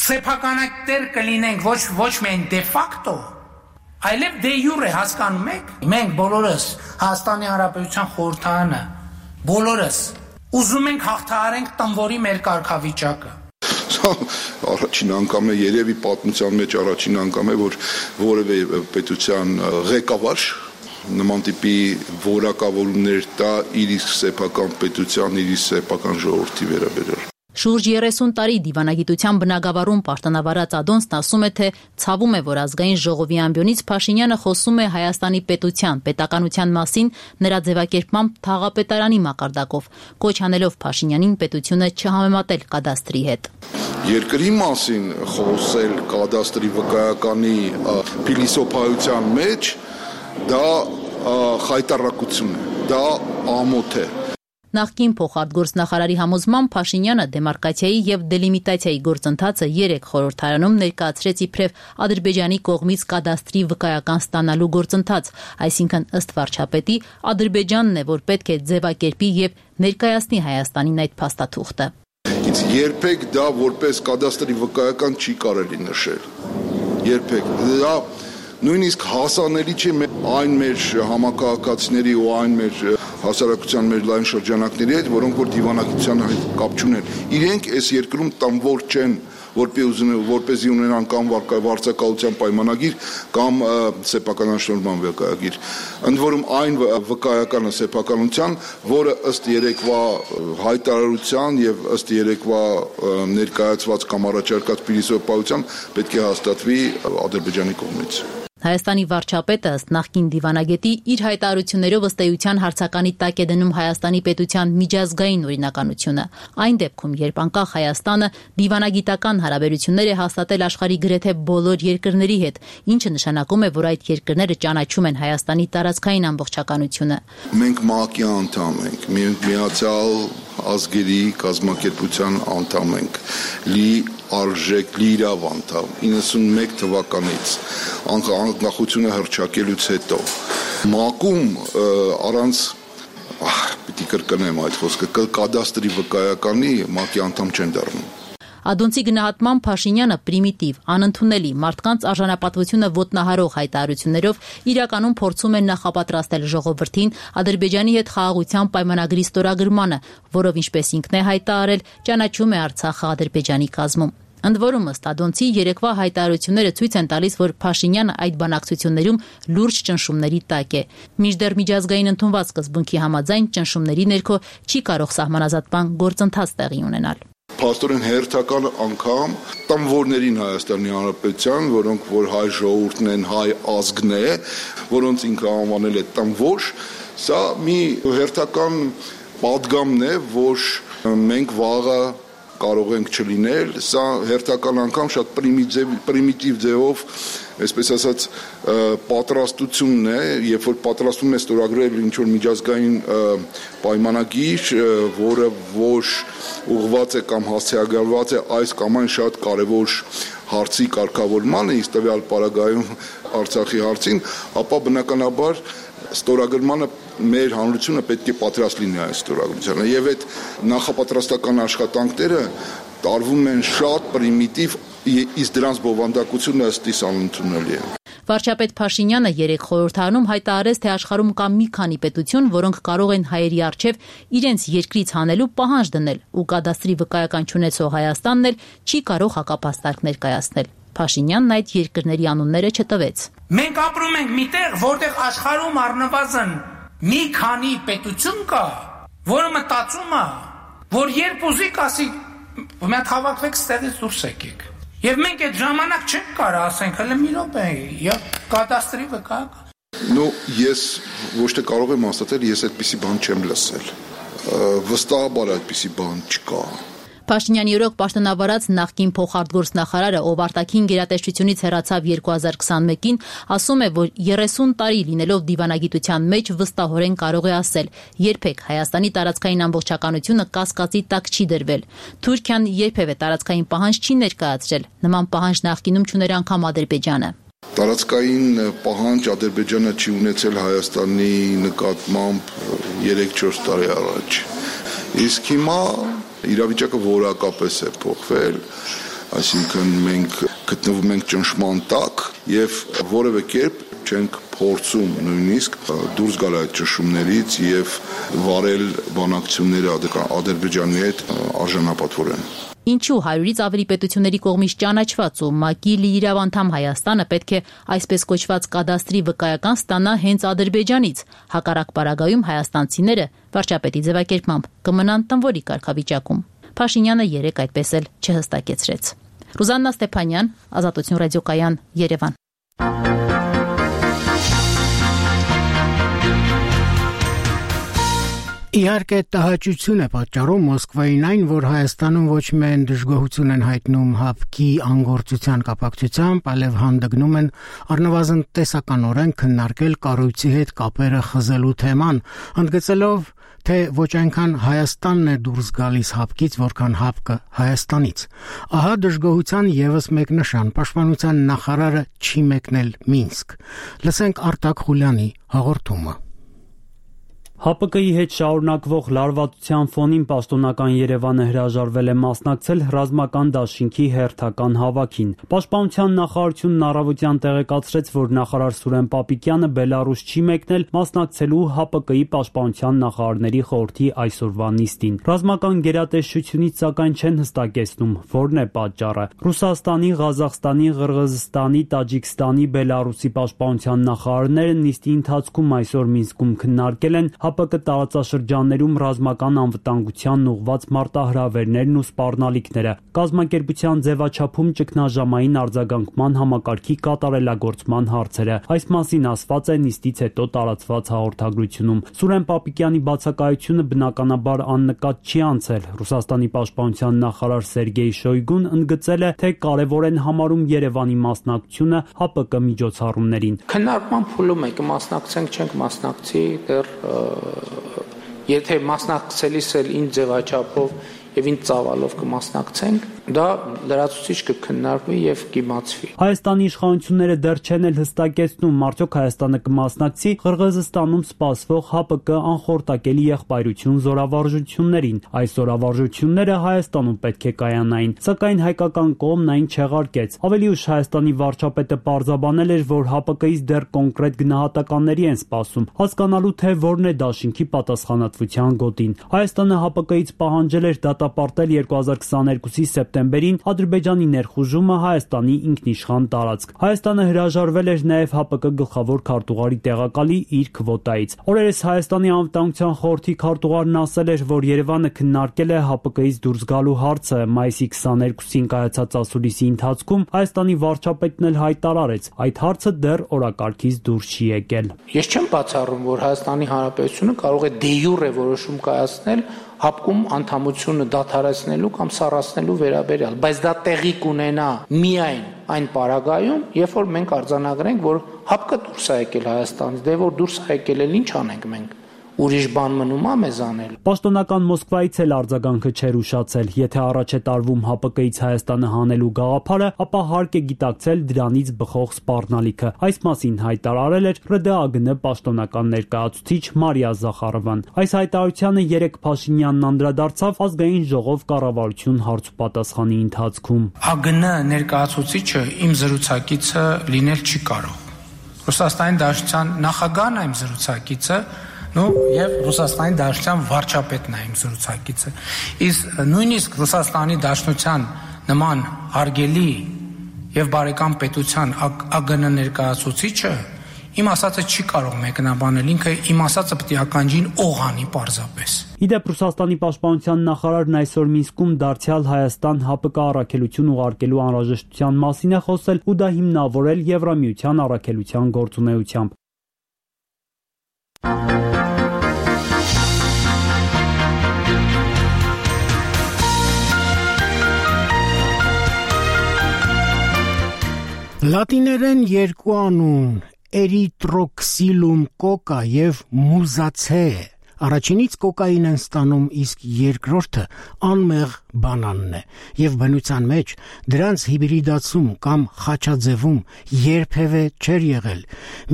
S14: Սեփականատեր կլինենք ոչ միայն դե ֆակտո, այլև դե յուրե, հասկանում եք։ Մենք բոլորս Հայաստանի Հանրապետության խորհրդարանը բոլորս ուզում ենք հաղթահարենք տնվորի մեր կարգավիճակը։
S8: Առաջին անգամ է երևի պատմության մեջ առաջին անգամ է, որ որևէ պետության ղեկավար նման տիպի որակավորումներ տա իր իսկ սեփական պետության, իր սեփական ժողովրդի վերաբերյալ։
S13: Շուրջ 30 տարի դիվանագիտության բնագավառում պաշտոնավարած Ադոնցն ասում է, թե ցավում է, որ ազգային ժողովի ամբիոնից Փաշինյանը խոսում է Հայաստանի պետության, պետականության մասին նրա ձևակերպմամբ թաղապետարանի մակարդակով, կոչ անելով Փաշինյանին պետությունը չհամեմատել կադաստրի հետ։
S8: Երկրի մասին խոսել կադաստրի վկայականի փիլիսոփայության մեջ դա խայտարակություն է, դա ամոթ է։
S13: Նախկին փոխարտգործնախարարի համոզմամբ Փաշինյանը դեմարկացիայի եւ դելիմիտացիայի գործընթացը 3 խորհրդարանում ներկայացրեց իբրև Ադրբեջանի կողմից կադաստրի վկայական ստանալու գործընթաց, այսինքն ըստ վարչապետի Ադրբեջանն է, որ պետք է ձևակերպի եւ ներկայացնի Հայաստանին այդ փաստաթուղթը։
S8: Իսկ երբեք դա որպես կադաստրի վկայական չի կարելի նշել։ Երբեք դա նույնիսկ հասանելի չէ այն մեր համակարգացիների ու այն մեր հասարակության մեր լայն շրջանակների հետ, որոնք որ դիվանագիտության հետ կապ չունեն։ Իրենք այս երկրում տամվոր չեն, որպեսզի ունենան կամ վարձակալության պայմանագիր կամ սեփականաշնորհման վկայագիր։ Ընդ որում այն վկայականը սեփականության, որը ըստ երեկվա հայտարարության եւ ըստ երեկվա ներկայացված կամ առաջարկած փիլիսոփայության պետք է հաստատվի Ադրբեջանի կողմից։
S13: Հայաստանի վարչապետը ըստ նախկին դիվանագետի իր հայտարարություններով ըստ էության հարցականի տակ է դնում Հայաստանի պետության միջազգային օրինականությունը։ Այն դեպքում, երբ անկախ Հայաստանը դիվանագիտական հարաբերություններ է հաստատել աշխարհի գրեթե բոլոր երկրների հետ, ինչը նշանակում է, որ այդ երկրները ճանաչում են Հայաստանի տարածքային ամբողջականությունը։
S8: Մենք ՄԱԿ-ի անդամ ենք, Միացյալ ազգերի կազմակերպության անդամ ենք, արժեք լիիրավ անդամ 91 թվականից անկախությունը հռչակելուց հետո ՄԱԿ-ում առանց պիտի կրկնեմ այդ խոսքը կադաստրի վկայականի ՄԱԿ-ի անդամ չեն դառնում։
S13: Ադոնցի գնահատմամբ Փաշինյանը պրիմիտիվ, անընդունելի, մարդկանց արժանապատվությունը ոտնահարող հայտարարություններով իրականում փորձում է նախապատրաստել ժողովրդին Ադրբեջանի հետ խաղաղության պայմանագրի ստորագրմանը, որով ինչպես ինքն է հայտարարել, ճանաչում է Արցախը Ադրբեջանի կազմում։ Ընդ որում ըստ Ադոնցի երեկվա հայտարարությունները ցույց են տալիս, որ Փաշինյանը այդ բանակցություններում լուրջ ճնշումների տակ է։ Մինչդեռ միջազգային ընդունված սկզբունքի համաձայն ճնշումների ներքո չի կարող սահմանազատման գործընթաց տեղի ունենալ։
S8: Փաստորեն հերթական անգամ տամվորներին Հայաստանի Հանրապետության, որոնք որ հայ ժողովուրդն են, հայ ազգն է, որոնց ինքը անվանել է տամվոր, սա մի հերթական պատգամն է, որ մենք վաղը կարող ենք չլինել, սա հերթական անգամ շատ պրիմիտիվ ձևով, այսպես ասած, պատրաստությունն է, երբ որ պատրաստվում է ստորագրել ինչ-որ միջազգային պայմանագիր, որը ոչ ուղղված է կամ հասցեագրված է այս կամ այն շատ կարևոր
S15: հարցի կարգավորմանը, իսկ տվյալ պարագայում Արցախի հարցին, ապա բնականաբար ստորագրմանը մեր հանրությունը պետք է պատրաստ լինի այս ստորագրությանը եւ այդ նախապատրաստական աշխատանքները տարվում են շատ պրիմիտիվ, իսկ դրանց բովանդակությունը ըստիս անընդունելի է։
S13: Վարչապետ Փաշինյանը երեք խորհրդարանում հայտարարեց, թե աշխարհում կա մի քանի պետություն, որոնք կարող են հայերի առջև իրենց երկրից հանելու պահանջ դնել, ու կադաստրի վկայական չունեցող Հայաստանն էլ չի կարող հակապաստարկ ներկայացնել։ Փաշինյանն այդ երկրների անունները չտվեց։
S14: Մենք ապրում ենք միտեղ, որտեղ աշխարհում առնվազն մի քանի պետություն կա, որը մտածում է, որ երբ ուզիք ասի, մի հատ հավաքվեք ստեղից դուրս եկեք։ Եվ մենք այդ ժամանակ չենք կարող ասենք, հələ մի րոպե, եւ կադաստրի վկայակ։
S15: Ես ոչ թե կարող եմ ասել, ես այդպիսի բան չեմ լսել։ Վստահաբար այդպիսի բան չկա։
S13: Փաշինյանի օրոք պաշտոնավարած նախկին փոխարտգործնախարարը, ով արտաքին գերատեսչությունից հեռացավ 2021-ին, ասում է, որ 30 տարի լինելով դիվանագիտության մեջ վստահորեն կարող է ասել. երբեք Հայաստանի տարածքային ամբողջականությունը կասկածի տակ չի դրվել։ Թուրքիան երբևէ տարածքային պահանջ չի ներկայացրել։ Նման պահանջ նախկինում չուներ անգամ Ադրբեջանը։
S15: Տարածքային պահանջ Ադրբեջանը չի ունեցել Հայաստանի նկատմամբ 3-4 տարի առաջ։ Իսկ հիմա իրավիճակը որակապես է փոխվել, այսինքն մենք գտնվում ենք ճնշման տակ եւ որևէ կերպ չենք փորձում նույնիսկ դուրս գալ այդ ճնշումներից եւ վարել բանակցությունները Ադրբեջանի հետ արժանապատվորեն։
S13: Ինչու 100-ից ավելի պետությունների կողմից ճանաչված ու ՄԱԿ-ի լիիրավ անդամ Հայաստանը պետք է այսպես կոչված կադաստրի վկայական ստանա հենց Ադրբեջանից։ Հակառակ պարագայում հայաստանցիները վարչապետի ձևակերպմամբ կմնան տնվորի կարգավիճակում։ Փաշինյանը երեք այդպես էլ չհստակեցրեց։ Ռուզաննա Ստեփանյան, Ազատություն ռադիոկայան, Երևան։
S1: Իհարկե տհաճություն է պատճառում Մոսկվային այն, որ Հայաստանում ոչ միայն դժգոհություն են հայտնում ՀԱՊԿ-ի անգործության կապակցությամբ, այլև հանդգնում են առնվազն տեսականորեն քննարկել կառույցի հետ կապերը խզելու թեման, ընդգծելով, թե ոչ այնքան Հայաստանն է դուրս գալիս ՀԱՊԿ-ից, որքան ՀԱՊԿ-ը Հայաստանից։ Ահա դժգոհության եւս մեկ նշան՝ Պաշտպանության նախարարը չի մեկնել Մինսկ։ Լսենք Արտակ Խուլյանի հաղորդումը։
S12: ՀԱՊԿ-ի հետ շարունակվող լարվածության ֆոնին պաշտոնական Երևանը հրաժարվել է մասնակցել ռազմական դաշինքի հերթական հավաքին։ Պաշտպանության նախարարությունն առավոտյան տեղեկացրեց, որ նախարար Սուրեն Պապիկյանը Բելարուս չի մեկնել մասնակցելու ՀԱՊԿ-ի պաշտպանության նախարարների խորհրդի այսօրվա նիստին։ Ռազմական գերատեսչությունից սակայն չեն հստակեցնում, որն է պատճառը։ Ռուսաստանի, Ղազախստանի, Ղրղզստանի, Տաջիկստանի, Բելարուսի պաշտպանության նախարարները նիստի ընթացքում այսօր Մինսկում քննարկել են ՀԱՊԿ տարածաշրջաններում ռազմական անվտանգությանն ուղղված մարտահրավերներն ու սպառնալիքները, կազմակերպության ձևաչափում ճգնաժամային արձագանքման համակարգի կատարելագործման հարցերը։ Այս մասին ասված է նիստից հետո տարածված հաղորդագրությունում։ Սուրեն Պապիկյանի բացակայությունը բնականաբար աննկատ չի անցել։ Ռուսաստանի պաշտպանության նախարար Սերգեյ Շոյգուն ընդգծել է, թե կարևոր են համարում Երևանի մասնակցությունը ՀԱՊԿ միջոցառումներին։
S14: Քննարկման փուլում է կմասնակցենք, չենք մասնակցի, դեռ եթե մասնակցելիս էլ ինչ ձևաչափով եւ ինչ ծավալով կմասնակցենք, դա լրացուցիչ կքննարկվի եւ կիմացվի։
S12: Հայաստանի իշխանությունները դեռ չեն էլ հստակեցնում, արդյոք Հայաստանը կմասնակցի Ղրղզստանում սպասվող ՀԱՊԿ անխորտակելի եղբայրություն զորավարժություններին։ Այս զորավարժությունները Հայաստանում պետք է կայանային, սակայն հայկական կողմն այն չեղարկեց։ Ավելի ուշ Հայաստանի վարչապետը պարզաբանել էր, որ ՀԱՊԿ-ից դեռ կոնկրետ գնահատականների են սպասում, հասկանալու թե որն է դաշինքի պատասխանատվության գոտին։ Հայաստանը ՀԱՊԿ-ից պահանջել էր դատապարտել 2022-ի սեպտեմբերին Ադրբեջանի ներխուժումը Հայաստանի ինքնիշխան տարածք։ Հայաստանը հրաժարվել էր նաև ՀԱՊԿ գլխավոր քարտուղարի տեղակալի իր քվոտայից։ Օրերս Հայաստանի անվտանգության խորհրդի քարտուղարն ասել էր, որ Երևանը քննարկել է ՀԱՊԿ-ից դուրս գալու հարցը։ Մայիսի 22-ին կայացած ասուլիսի ընթացքում Հայաստանի վարչապետն էլ հայտարարեց, այդ հարցը դեռ օրակարգից դուրս չի եկել։
S14: Ես չեմ բացառում, որ Հայաստանի Հանրապետությունը կարող է դե յուրե որոշում կայացնել ՀԱՊԿ-ում անդամությունը դադարեցնելու կամ սառացնելու վերաբերյալ, բայց դա տեղի կունենա միայն այն պարագայում, երբ որ մենք արձանագրենք, որ ՀԱՊԿ դուրս է եկել Հայաստանից, դե որ դուրս է եկել էլ ինչ անենք մենք։ ուրիշ բան մնում է մեզ անել։
S12: Պաշտոնական Մոսկվայից էլ արձագանքը չէր ուշացել։ Եթե առաջ է տարվում ՀԱՊԿ-ից Հայաստանը հանելու գաղափարը, ապա հարկ է գիտակցել դրանից բխող սպառնալիքը։ Այս մասին հայտարարել էր ՌԴԱԳՆ պաշտոնական ներկայացուցիչ Մարիա Զախարովան։ Այս հայտարարությանը 3 Փաշինյանն անդրադարձավ Ազգային ժողով կառավարություն հարցուպատասխանի ընթացքում։
S14: ԱԳՆ ներկայացուցիչը իմ զրուցակիցը լինել չի կարող։ Ռուսաստանի Դաշնության նախագահն է իմ զրուցակիցը, եւ Ռուսաստանի Դաշնության վարչապետն է իմ զրուցակիցը։ Իսկ նույնիսկ Ռուսաստանի Դաշնության նման հարգելի եւ բարեկամ պետության ԱԳՆ ներկայացուցիչը իմ ասածը չի կարող մեկնաբանել, ինքը իմ ասածը պետք է ականջին օղանի պարզապես։
S12: Իդեպ Ռուսաստանի պաշտպանության նախարարն այսօր Մինսկում դարձյալ Հայաստան ՀԱՊԿ առաքելություն ուղարկելու անհրաժեշտության մասին է խոսել ու դա հիմնավորել Եվրամիության առաքելության գործունեությամբ։
S1: Լատիներեն երկու անուն էրիտրոքսիլում կոկա եւ մուզացե Առաջինից կոկային են ստանում, իսկ երկրորդը անմեղ բանանն է, եւ բնության մեջ դրանց հիբրիդացում կամ խաչաձևում երբևէ չէր եղել,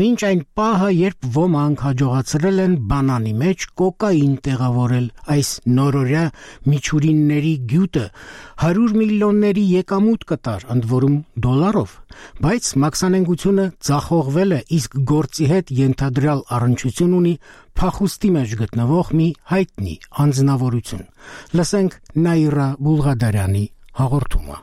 S1: մինչ այն պահը, երբ ոմանք հաջողացրել են բանանի մեջ կոկային տեղավորել, այս նորորյա միջուրինների գյուտը 100 միլիոնների եկամուտ կտար, ընդ որում դոլարով, բայց մաքսանենգությունը ձախողվել է, իսկ գործի հետ ենթադրյալ առնչություն ունի փախուստի մեջ գտնվող մի հայտնի անձնավորություն։ Լսենք Նաիրա Բուլղադարյանի հաղորդումը։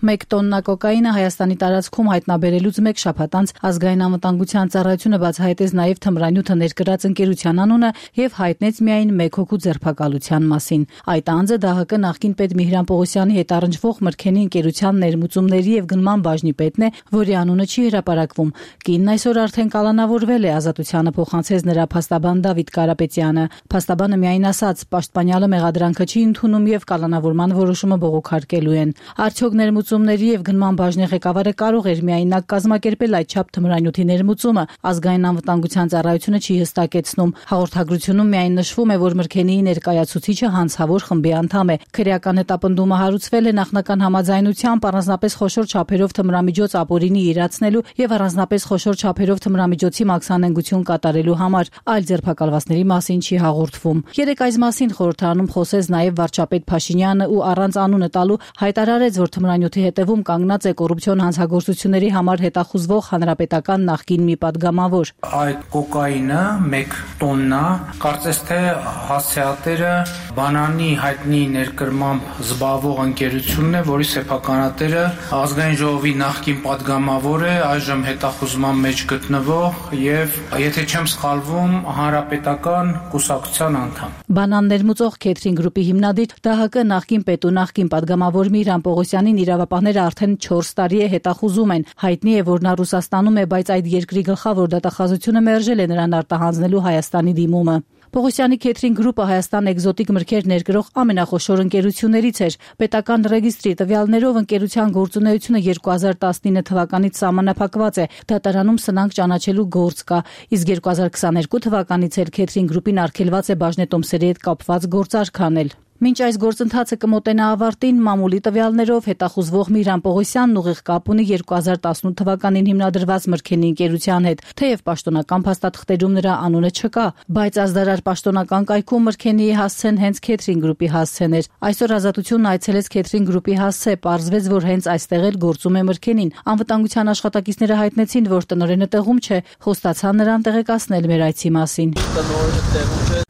S13: 1 տոննա կոկայինը Հայաստանի տարածքում հայտնաբերելուց 1 շաբաթ անց Ազգային անվտանգության ծառայությունը բացահայտեց նաև թմրանյութը ներկրած ընկերության անունը եւ հայտնեց միայն 1 հոգու ձերբակալության մասին։ Այդ անձը ԴՀԿ նախկին պետ Միհրան Պողոսյանի հետ առնչվող Մրգենի ընկերության ներմուծումների եւ գնման բաժնի պետն է, որի անունը չի հրապարակվում։ Կինն այսօր արդեն կալանավորվել է, ազատությանը փոխանցեց նրա փաստաբան Դավիթ Կարապետյանը։ Փաստաբանը միայն ասաց, պաշտպանյալը մեղադրանքը չի ընդունում եւ կալանավորման որոշումը բողոքարկելու են։ Արդյոք ներմուծումների եւ գնման բաժնի ղեկավարը կարող էր միայնակ կազմակերպել այդչափ թմրանյութի ներմուծումը, ազգային անվտանգության ծառայությունը չի հստակեցնում։ Հաղորդագրությունում միայն նշվում է, որ Մրգենիի ներկայացուցիչը հանցավոր խմբի անդամ է։ Քրեական հետապնդումը հարուցվել է նախնական համաձայնությամբ առանձնապես խոշոր չափերով թմրամիջոց ապօրինի իրացնելու եւ առանձնապես խոշոր չափերով թմրամիջոցի մաքսանենգություն կատարելու համար։ Այլ ձերբակալվածների մասին չի հաղորդվում։ Երեք այս մասին խորհրդարանում խոսեց նաեւ վարչապետ Փաշինյանը ու առանց անունը տալու հայտարարեց, որ թմրանյութի հետևում կանգնած է կոռուպցիոն հանցագործությունների համար հետախուզվող հանրապետական նախկին մի падգամավոր։
S14: Այդ կոկայինը 1 տոննա, կարծես թե հասցեատերը բանանի հայտնի ներկրմամբ զբաղվող ընկերությունն է, որի սեփականատերը ազգային ժողովի նախկին падգամավոր է, այժմ հետախուզման մեջ գտնվող եւ եթե չեմ սխալվում, հանրապետական կուսակցության անդամ։
S13: Բանան ներմուծող Քեթրին գրուպի հիմնադիր ԴՀԿ նախկին պետ ու նախկին падգամավոր Միհրան Պողոսյանին իրավապահները արդեն 4 տարի է հետախուզում են։ Հայտնի է, որ նա Ռուսաստանում է, բայց այդ երկրի գլխավոր դատախազությունը մերժել է նրան արտահանձնելու Հայաստանի դիմումը։ Պողոսյանի Քեթրին գրուպը Հայաստան էկզոտիկ մրգեր ներկրող ամենախոշոր ընկերություններից էր։ Պետական ռեգիստրի տվյալներով ընկերության գործունեությունը 2019 թվականից սահմանափակված է։ Դատարանում սնանկ ճանաչելու գործ կա, իսկ 2022 թվականից էլ Քեթրին գրուպին արգելված է բաժնետոմսերի հետ կապված գործարք անել։ Մինչ այս գործընթացը կմոտենա ավարտին, մամուլի տվյալներով հետախուզվող Միհրան Պողոսյանն ուղիղ կապ ունի 2018 թվականին հիմնադրված Մրգենի ընկերության հետ, թեև պաշտոնական փաստաթղթերում նրա անունը չկա, բայց ազդարար պաշտոնական կայքում Մրգենիի հասցեն հենց Քեթրին գրուպի հասցեն էր։ Այսօր Ազատությունն այցելեց Քեթրին գրուպի հասցե, պարզվեց, որ հենց այստեղ էլ գործում է Մրգենին։ Անվտանգության աշխատակիցները հայտնեցին, որ տնօրենը տեղում չէ, խոստացան նրան տեղեկացնել մեր այցի մասին։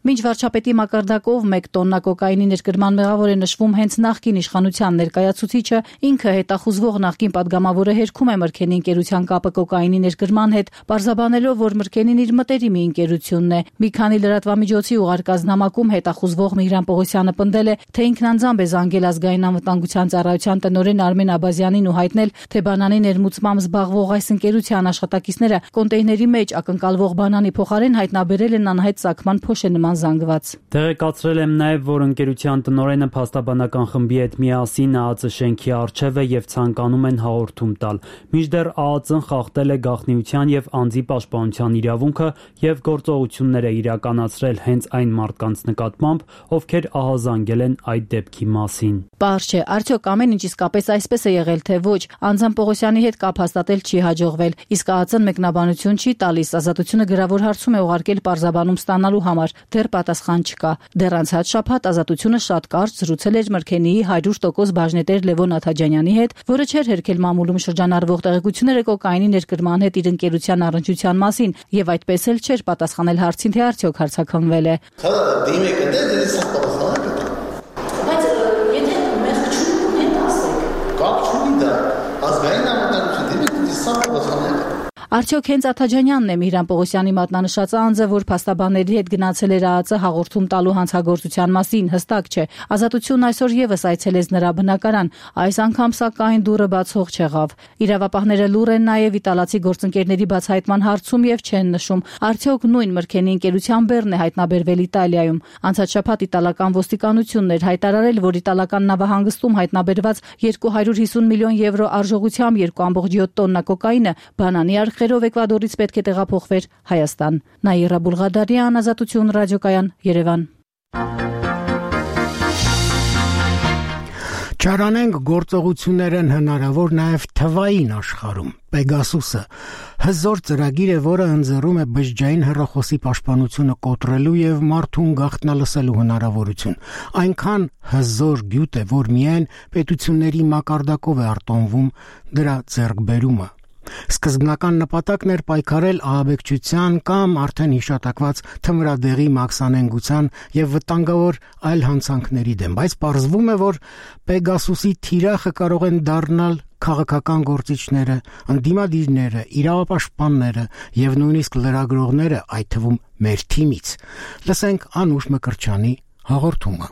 S13: Մինչ վարչապետի մակարդակով 1 տոննա կոկայինի ներկրման մեղավոր է նշվում հենց նախկին իշխանության ներկայացուցիչը, ինքը հետախուզվող նախկին падգամավորը հերքում է Մրգենի ընկերության կապը կոկայինի ներկրման հետ, պարզաբանելով, որ Մրգենին իր մտերիմի ընկերությունն է։ Մի քանի լրատվամիջոցի ուղարկած նամակում հետախուզվող Միհրան Պողոսյանը պնդել է, թե ինքն անձամբ է զանգել ազգային անվտանգության ծառայության տնօրեն Արմեն Աբազյանին ու հայտնել, թե բանանի ներմուծմամբ զբաղվող այս ընկերության աշխատակիցները կոնտեյների մեջ ակնկալվող բանանի փոխարեն հայտնաբերել են անհայտ ծագման փոշե նման զանգված։
S12: Տեղեկացրել եմ նաև, որ ընկերության պետության տնօրենը փաստաբանական խմբի հետ միասին ԱԱԾ շենքի առջև է եւ ցանկանում են հաղորդում տալ։ Մինչդեռ ԱԱԾ-ն խախտել է գաղտնիության եւ անձի պաշտպանության իրավունքը եւ գործողություններ է իրականացրել հենց այն մարդկանց նկատմամբ, ովքեր ահազանգել են այդ դեպքի մասին։
S13: Պարզ չէ, արդյոք ամեն ինչ իսկապես այսպես է եղել թե ոչ։ Անձան Պողոսյանի հետ կապ հաստատել չի հաջողվել, իսկ ԱԱԾ-ն մեկնաբանություն չի տալիս, ազատությունը գրավոր հարցում է ուղարկել պարզաբանում ստանալու համար, դեռ պատասխան չկա։ Դեռ անցած շաբաթ ազատությունը շատ կարճ զրուցել էր Մրգենիի 100% բաժնետեր Լևոն Աթաջանյանի հետ, որը չէր հերքել մամուլում շրջանառվող տեղեկությունները կոկաինի ներկրման հետ իր ընկերության առնչության մասին եւ այդպես էլ չէր պատասխանել հարցին, թե արդյոք հարցաքննվել է։
S16: Բայց եթե մեղքություն հետ ասեք, կապ չունի դա, ազգային անվտանգություն դիմեք սա պատասխանեք։
S13: Արդյոք հենց Աթաջանյանն է Միհրան Պողոսյանի մատնանշած անձը, որ փաստաբանների հետ գնացել էր ԱԱԾ հաղորդում տալու հանցագործության մասին, հստակ չէ։ Ազատությունն այսօր եւս այցելեց նրա բնակարան, այս անգամ սակայն դուռը բացող չեղավ։ Իրավապահները լուռ են նաեւ իտալացի գործընկերների բացահայտման հարցում եւ չեն նշում, արդյոք նույն Մրգենի ընկերության բեռն է հայտնաբերվել Իտալիայում։ Անցած շաբաթ իտալական ոստիկանությունն էր հայտարարել, որ իտալական նավահանգստում հայտնաբերված 250 միլիոն եվրո արժողությամբ 2.7 տոննա կոկաինը բանանի արխերով Էկվադորից պետք է տեղափոխվեր Հայաստան։ Նաիրա Բուլղադարյան, Ազատություն ռադիոկայան, Երևան։
S1: Չարանենք գործողություններ են հնարավոր նաև թվային աշխարհում։ Պեգասուսը հզոր ծրագիր է, որը ընձեռում է բջջային հեռախոսի պաշտպանությունը կոտրելու եւ մարդուն գաղտնալսելու հնարավորություն։ Այնքան հզոր գյուտ է, որ միայն պետությունների մակարդակով է արտոնվում դրա ձեռքբերումը։ Սկզբնական նպատակն էր պայքարել ահաբեկչության կամ արդեն հիշատակված թմրադեղի մաքսանենգության եւ վտանգավոր այլ հանցանքների դեմ, բայց պարզվում է, որ Պեգասուսի թիրախը կարող են դառնալ քաղաքական գործիչները, ընդդիմադիրները, իրավապաշտպանները եւ նույնիսկ լրագրողները, այդ թվում մեր թիմից։ Լսենք Անուշ Մկրտչյանի հաղորդումը։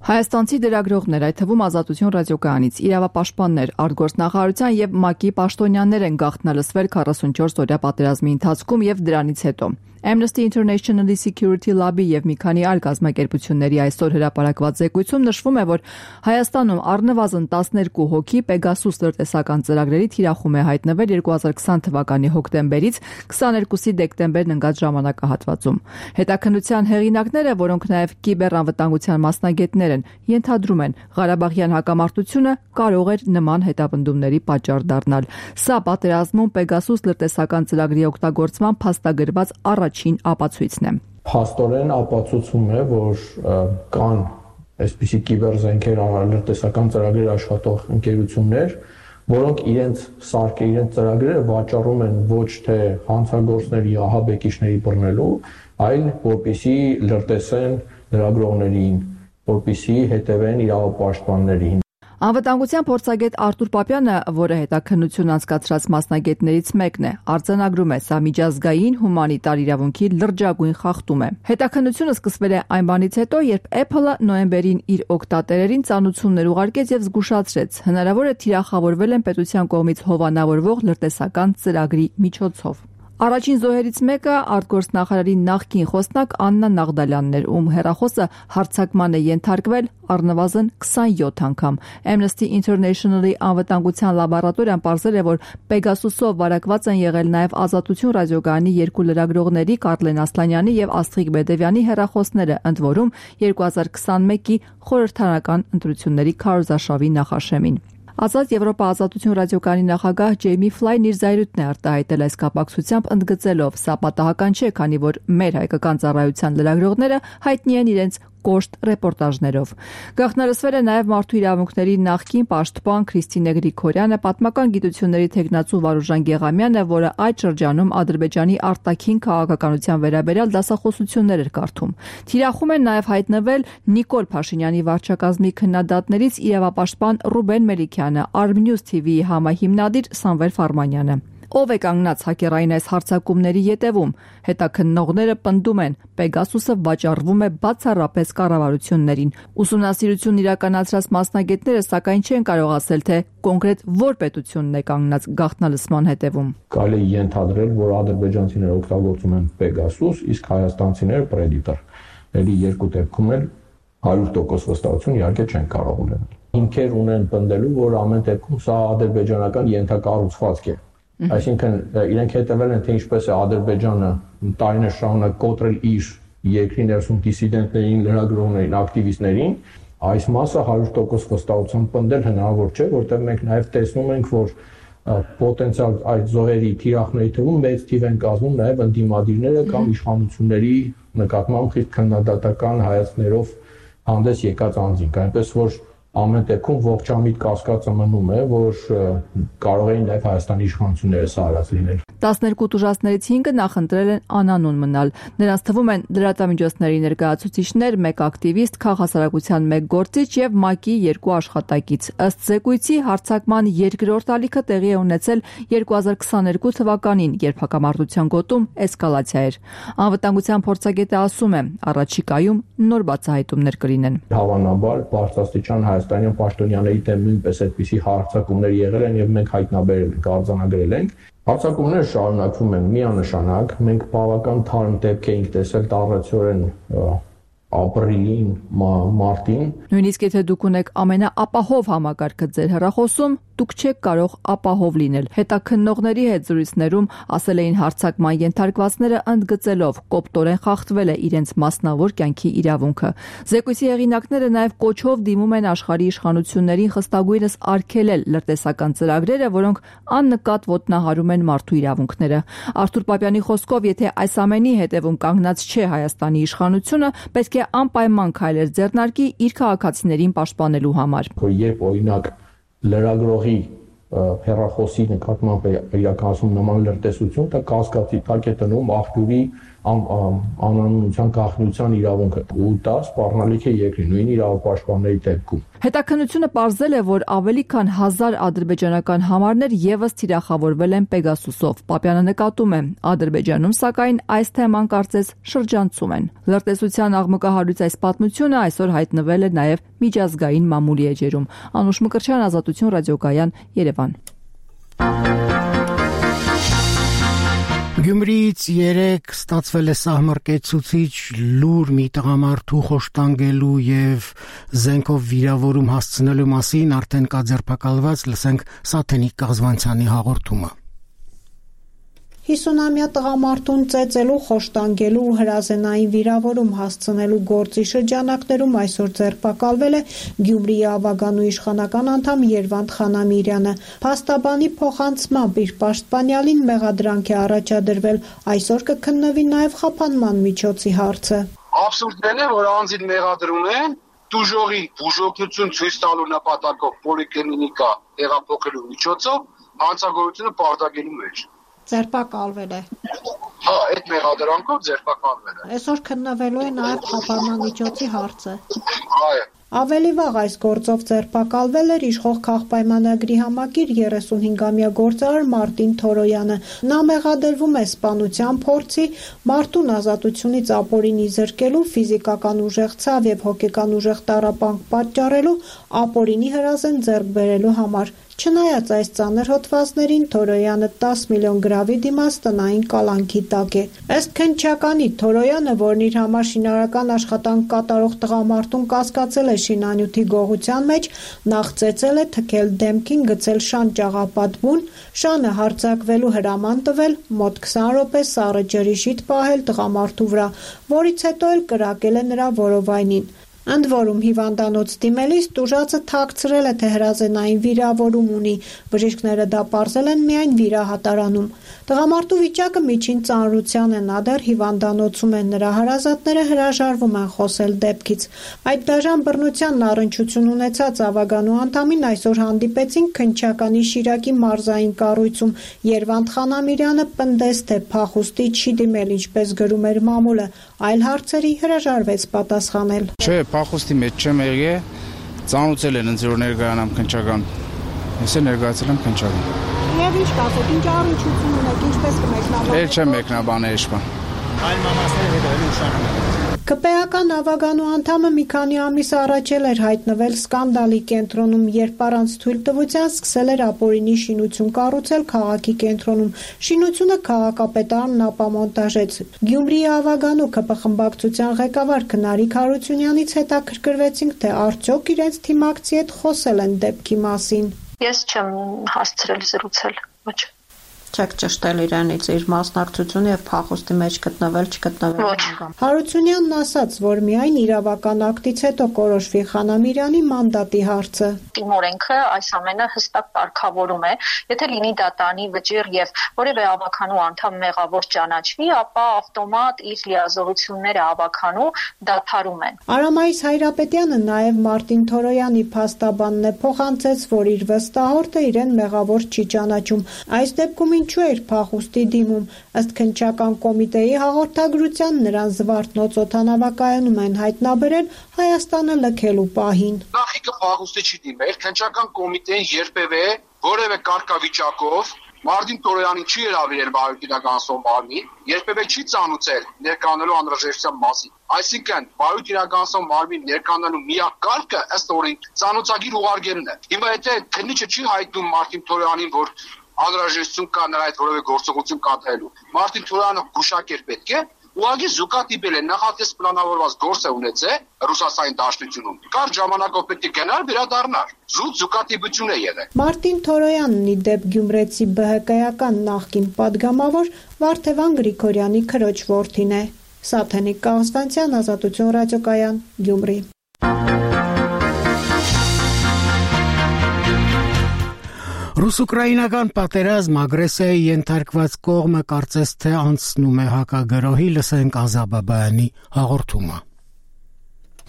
S17: Հայաստանցի լրագրողներ, այդ թվում Ազատություն ռադիոկայանից, իրավապաշտպաններ, արտգործնախարարության եւ ՄԱԿ-ի պաշտոնյաներ են գաղտնալսվել 44 օրյա պատերազմի ընթացքում եւ դրանից հետո։ Amnesty International-ի Security Lab-ի եւ մի քանի այլ կազմակերպությունների այսօր հրապարակված զեկույցում նշվում է, որ Հայաստանում առնվազն 12 հոգի Pegasus լրտեսական ծրագրերի թիրախում է հայտնվել 2020 թվականի հոկտեմբերից 22-ի դեկտեմբերն ընկած ժամանակահատվածում։ Հետաքննության հեղինակները, որոնք նաեւ կիբերանվտանգության մասնագետներ են, ենթադրում են, Ղարաբաղյան հակամարտությունը կարող էր նման հետապնդումների պատճառ դառնալ։ Սա պատերազմում Pegasus լրտեսական ծրագրի օգտագործման փաստագրված առաջին ապացույցն է։
S18: Փաստորեն ապացուցում է, որ կան այսպիսի կիբերզենքեր լրտեսական ծրագրեր աշխատող ընկերություններ, որոնք իրենց ծրագրերը վաճառում են ոչ թե հանցագործների, ահաբեկիչների բռնելու, այլ որպեսզի լրտեսեն լրագրողներին, որպեսզի հետևեն իրավապաշտպաններին։
S17: Անվտանգության փորձագետ Արտուր Պապյանը, որը հետաքննություն անցկացրած մասնագետներից մեկն է, արձանագրում է, սա միջազգային հումանիտար իրավունքի լրջագույն խախտում է։ Հետաքննությունը սկսվել է այն բանից հետո, երբ Apple-ը նոյեմբերին իր օգտատերերին ծանուցումներ ուղարկեց եւ զգուշացրեց, հնարավոր է թիրախավորվել են պետության կողմից հովանավորվող լրտեսական ծրագրի միջոցով։ Առաջին զոհերից մեկը արտգործնախարարի նախկին խոսնակ Աննա Նաղդալյանն էր, ում հեռախոսը հարձակման է ենթարկվել առնվազն 27 անգամ։ Amnesty International-ի անվտանգության լաբորատորիան պարզել է, որ Pegasus-ով վարակված են եղել նաև Ազատություն ռադիոկայանի երկու լրագրողների Կարլեն Ասլանյանի եւ Աստղիկ Բեդևյանի հեռախոսները, ընդ որում 2021-ի խորհրդարանական ընտրությունների քարոզարշավի նախաշեմին։ Ազատ Եվրոպա Ազատություն ռադիոկայանի նախագահ Ջեյմի Ֆլայն իր զայրույթն է արտահայտել այս կապակցությամբ, ընդգծելով, սա պատահական չէ, քանի որ մեր հայկական ծառայության լրագրողները հայտնի են իրենց կոշտ ռեպորտաժներով։ Գաղտնալսվել է նաև մարդու իրավունքների նախկին պաշտպան Քրիստինե Գրիգորյանը, պատմական գիտությունների թեկնածու Վարուժան Գեղամյանը, որը այդ շրջանում Ադրբեջանի արտաքին քաղաքականության վերաբերյալ դասախոսություններ էր կարդում։ Թիրախում են նաև հայտնվել Նիկոլ Փաշինյանի վարչակազմի քննադատներից իրավապաշտպան Ռուբեն Մելիքյանը, Armnews TV-ի համահիմնադիր Սամվել Ֆարմանյանը։ Ով է կանգնած հակերային այս հարձակումների ետևում։ Հետաքննողները պնդում են, Pegasus-ը վաճառվում է բացառապես կառավարություններին։ Ուսումնասիրություն իրականացրած մասնագետները սակայն չեն կարող ասել, թե կոնկրետ որ պետությունն է կանգնած գաղտնալսման հետևում։
S18: Կարելի է ենթադրել, որ ադրբեջանցիները օգտագործում են Pegasus, իսկ հայաստանցիները Predator։ Էլի երկու դեպքում էլ 100% վստահություն իհարկե չեն կարող ունենալ։ Հիմքեր ունեն պնդելու, որ ամեն դեպքում սա ադրբեջանական ենթակառուցվածք է։ Այսինքն իրենք հետևել են, թե ինչպես է Ադրբեջանը տարիներ շարունակ կոտրել իր երկրի ներսում դիսիդենտներին, լրագրողներին, ակտիվիստներին, այս մասը 100% վստահությամբ պնդել հնարավոր չէ, որտեղ մենք նաև տեսնում ենք, որ պոտենցիալ այդ զոհերի թիրախների թվում մեծ թիվ են կազմում նաև ընդդիմադիրները կամ իշխանությունների նկատմամբ խիստ քննադատական հայացքներով հանդես եկած անձինք, այնպես որ ամեն դեպքում ողջամիտ կասկածը մնում է, որ կարող էին նաև Հայաստանի իշխանությունները սա արած լինել։
S17: 12 տուժածներից 5-ը նախընտրել են անանուն մնալ։ Նրանց թվում են լրատվամիջոցների ներկայացուցիչներ, 1 ակտիվիստ, քաղաքասարակության 1 գործիչ եւ ՄԱԿ-ի 2 աշխատակից։ Ըստ զեկույցի հարձակման երկրորդ ալիքը տեղի է ունեցել 2022 թվականին, երբ հակամարտության գոտում էսկալացիա էր։ Անվտանգության փորձագետը ասում է, առաջիկայում նոր բացահայտումներ կլինեն։
S18: Հավանաբար բարձրաստիճան հայաստանյան պաշտոնյաների դեմ նույնպես այդպիսի հարձակումներ եղել են եւ մենք հայտնաբերել ենք, արձանագրել ենք։ Հարձակումները շարունակվում են միանշանակ, մենք բավական թարմ դեպք էինք տեսել տառացիորեն ապրիլին, մարտին։
S17: Նույնիսկ եթե դուք ունեք ամենաապահով համակարգը ձեր հեռախոսում, դուք չեք կարող ապահով լինել։ Հետաքննողների հետ զրույցներում ասել էին հարձակման ենթարկվածները ընդգծելով կոպտորեն խախտվել է իրենց մասնավոր կյանքի իրավունքը։ Զեկույցի հեղինակները նաև կոչով դիմում են աշխարհի իշխանություններին խստագույնս արգելել լրտեսական ծրագրերը, որոնք աննկատ ոտնահարում են մարդու իրավունքները։ Արթուր Պապյանի խոսքով, եթե այս ամենի հետևում կանգնած չէ Հայաստանի իշխանությունը, պետք է անպայման քայլեր ձեռնարկի իր քաղաքացիներին պաշտպանելու համար։
S18: Երբ օրինակ լրագրողի հեռախոսի նկատմամբ իրականացում նման լրտեսություն, դա կասկածի տակ է տնում աղբյուրի անանունության գաղտնիության իրավունքը, ու դա սպառնալիք է երկրի նույն իրավապաշտպանների դեպքում։
S17: Հետաքննությունը պարզել է, որ ավելի քան 1000 ադրբեջանական համարներ եւս թիրախավորվել են Պեգասուսով։ Պապյանը նկատում է, Ադրբեջանում սակայն այս թեման կարծես շրջանցում են։ Լրտեսության աղմկահարույց այս պատմությունը այսօր հայտնվել է նաեւ միջազգային մամուլի էջերում։ Անուշ Մկրտչյան, Ազատություն ռադիոկայան, Երևան։
S1: Գյումրիից 3 ստացվել է սահմռկեցուցիչ լուր մի տղամարդու խոշտանգելու եւ զենքով վիրավորում հասցնելու մասին արդեն կա ձերբակալված, լսենք Սաթենիկ Կազվանցյանի հաղորդումը։
S19: 50-ամյա տղամարդուն ծեծելու, խոշտանգելու ու հրազենային վիրավորում հասցնելու գործի շրջանակներում այսօր ձերբակալվել է Գյումրիի ավագանու իշխանական անդամ Երվանդ Խանամիրյանը։ Փաստաբանի փոխանցմամբ իր պաշտպանյալին մեղադրանք է առաջադրվել, այսօր կքննվի նաև խափանման միջոցի հարցը։
S20: Աբսուրդն է, որ անձին մեղադրում են դուժողի բուժօգնություն ցույց տալու նպատակով պոլիկլինիկա տեղափոխելու միջոցով հանցագործությունը պարտագելու մեջ։
S19: Ձերբակալվել է։
S20: Հա, այդ մեղադրանքով ձերբակալվել է։
S19: Այսօր քննվելու է նաև խափանման միջոցի հարցը։
S20: Այո։
S19: Ավելի վաղ այս գործով ձերբակալվել էր իշխող քաղբայմանագրի համակիր 35-ամյա գործարար Մարտին Թորոյանը։ Նա մեղադրվում է սպանության փորձի, մարդուն ազատությունից ապօրինի զրկելու, ֆիզիկական ուժեղ ցավ եւ հոգեկան ուժեղ տառապանք պատճառելու, ապօրինի հրազեն ձեռք բերելու համար։ Չնայած այս ծանր հոդվածներին Թորոյանը 10 միլիոն գրավի դիմաց տնային կալանքի տակ է։ Ըստ քննչականի Թորոյանը, որն իր համար շինարարական աշխատանք կատարող տղամարդուն կասկածել է շինանյութի գողության մեջ, նախ ծեծել է, թքել դեմքին, գցել շան ճաղապատ բուն, շանը հարձակվելու հրաման տվել, մոտ 20 րոպե սառը ջրի շիթ պահել տղամարդու վրա, որից հետո էլ կրակել է նրա որովայնին։ Ընդ որում հիվանդանոց դիմելիս տուժածը թաքցրել է, թե հրազենային վիրավորում ունի, բժիշկները դա պարզել են միայն վիրահատարանում։ Տղամարդու վիճակը միջին ծանրության է, նա դեռ հիվանդանոցում է, նրա հարազատները հրաժարվում են խոսել դեպքից։ Այդ դաժան բռնությանն առնչություն ունեցած ավագանու անդամին այսօր հանդիպեցին քննչականի Շիրակի մարզային կառույցում։ Երվանդ Խանամիրյանը պնդեց, թե փախուստի չի դիմել, ինչպես գրում էր մամուլը, այլ հարցերի հրաժարվեց պատասխանել։
S21: Չէ, փախուստի մեջ չեմ եղել, ծանոթել են ինձ որ ներկայանամ քննչական։ Ես ներկայացել եմ քննչական։
S19: Եվ ինչ կասեք, ինչ առնչություն ունեք, ինչպես կմեկնաբանեք։
S21: Էլ չեմ մեկնաբանել, այլ մամասները հետ ավելի ուշանում։
S19: ԿՊԵ-ական ավագանու անդամը մի քանի ամիս առաջ էր հայտնվել սկանդալի կենտրոնում, երբ առանց թույլտվության սկսել էր ապօրինի շինություն կառուցել քաղաքի կենտրոնում։ Շինությունը քաղաքապետարանն ապամոնտաժեց։ Գյումրիի ավագանու ԿՊ խմբակցության ղեկավար Քնարիկ Հարությունյանից հետաքրքրվեցինք, թե արդյոք իրենց թիմակցի հետ խոսել են դեպքի մասին։
S2: Ես չեմ հասցրել զրուցել, ոչ։
S19: Չեք ճշտել իրենից իր մասնակցությունը եւ փախուստի մեջ գտնվել, չգտնվել։ Հարությունյանն ասաց, որ միայն իրավական ակտից հետո կորոշվի Խանամիրյանի մանդատի հարցը։
S2: Օրենքը այս ամենը հստակ կարգավորում է, եթե լինի դատանի վճիռ եւ որևէ ավականու անդամ մեղավոր ճանաչվի, ապա ավտոմատ իր լիազորությունները ավականու դադարում են։
S19: Արամայիս Հայրապետյանը նաեւ Մարտին Թորոյանի փաստաբանն է փոխանցեց, որ իր վստահորդը իրեն մեղավոր չի ճանաչում։ Այս դեպքում ինչու էր փախուստի դիմում։ Ըստ քննչական կոմիտեի հաղորդագրության նրան Զվարթնոց օդանավակայանում են հայտնաբերել Հայաստանը լքելու պահին։
S20: Նախիկը փախուստի չի դիմել, քննչական կոմիտեն երբևէ որևէ կարգավիճակով Մարտին Թորոյանին չի հրավիրել Բարոյթ մարմին, երբևէ չի ծանուցել ներկանալու անհրաժեշտության մասին։ Այսինքն Բարոյթ մարմին ներկանալու միակ կարգը ըստ օրենքի ծանուցագիր ուղարկելն է։ Հիմա եթե քննիչը չի հայտնում Մարտին Թորոյանին, որ անհրաժեշտություն կա նրա այդ որևէ գործողություն կատարելու, Մարտին Թորոյանը գուշակեր պետք է ուղղակի զուգադիպել է, նախատես պլանավորված գործ է ունեցել Ռուսաստանի Դաշնությունում։ Կարճ ժամանակով պետք է գնար, վերադառնար։ Զուտ զուգադիպություն է եղել։
S19: Մարտին Թորոյանն ի դեպ գյումրեցի ԲՀԿ-ական նախկին падգամավոր Վարդևան Գրիգորյանի քրոջ որդին է։ Սաթենիկ Կաղզվանցյան, Ազատություն ռադիոկայան, Գյումրի։
S1: Ռուս-ուկրաինական պատերազմ ագրեսիայի ենթարկված կողմը կարծես թե անցնում է հակագրոհի, լսենք Ազաբաբայանի հաղորդումը։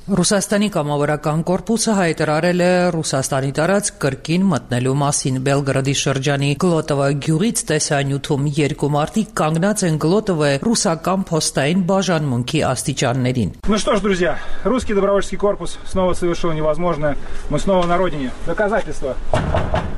S22: Ռուսաստանի կամավորական կորպուսը հայտարարել է Ռուսաստանի տարածք կրկին մտնելու մասին։ Բելգրադի շրջանի Գլոտովա գյուղից տեսանյութում երկու մարդիկ կանգնած են Գլոտովը ռուսական փոստային բաժանմունքի աստիճաններին։
S23: Ну что ж, друзья, русский добровольческий корпус снова совершил невозможное. Мы снова на родине. Доказательства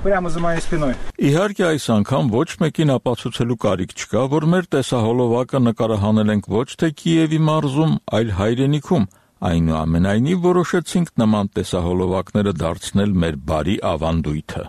S23: прямо за моей спиной.
S24: Իհարկե այս անգամ ոչ մեկին ապացուցելու կարիք չկա, որ մեր տեսահոլովակը նկարահանել ենք ոչ թե Կիևի մարզում, այլ հայրենիքում։ Այնուամենայնիվ որոշեցինք նման տեսահոլովակները դարձնել մեր բարի ավանդույթը։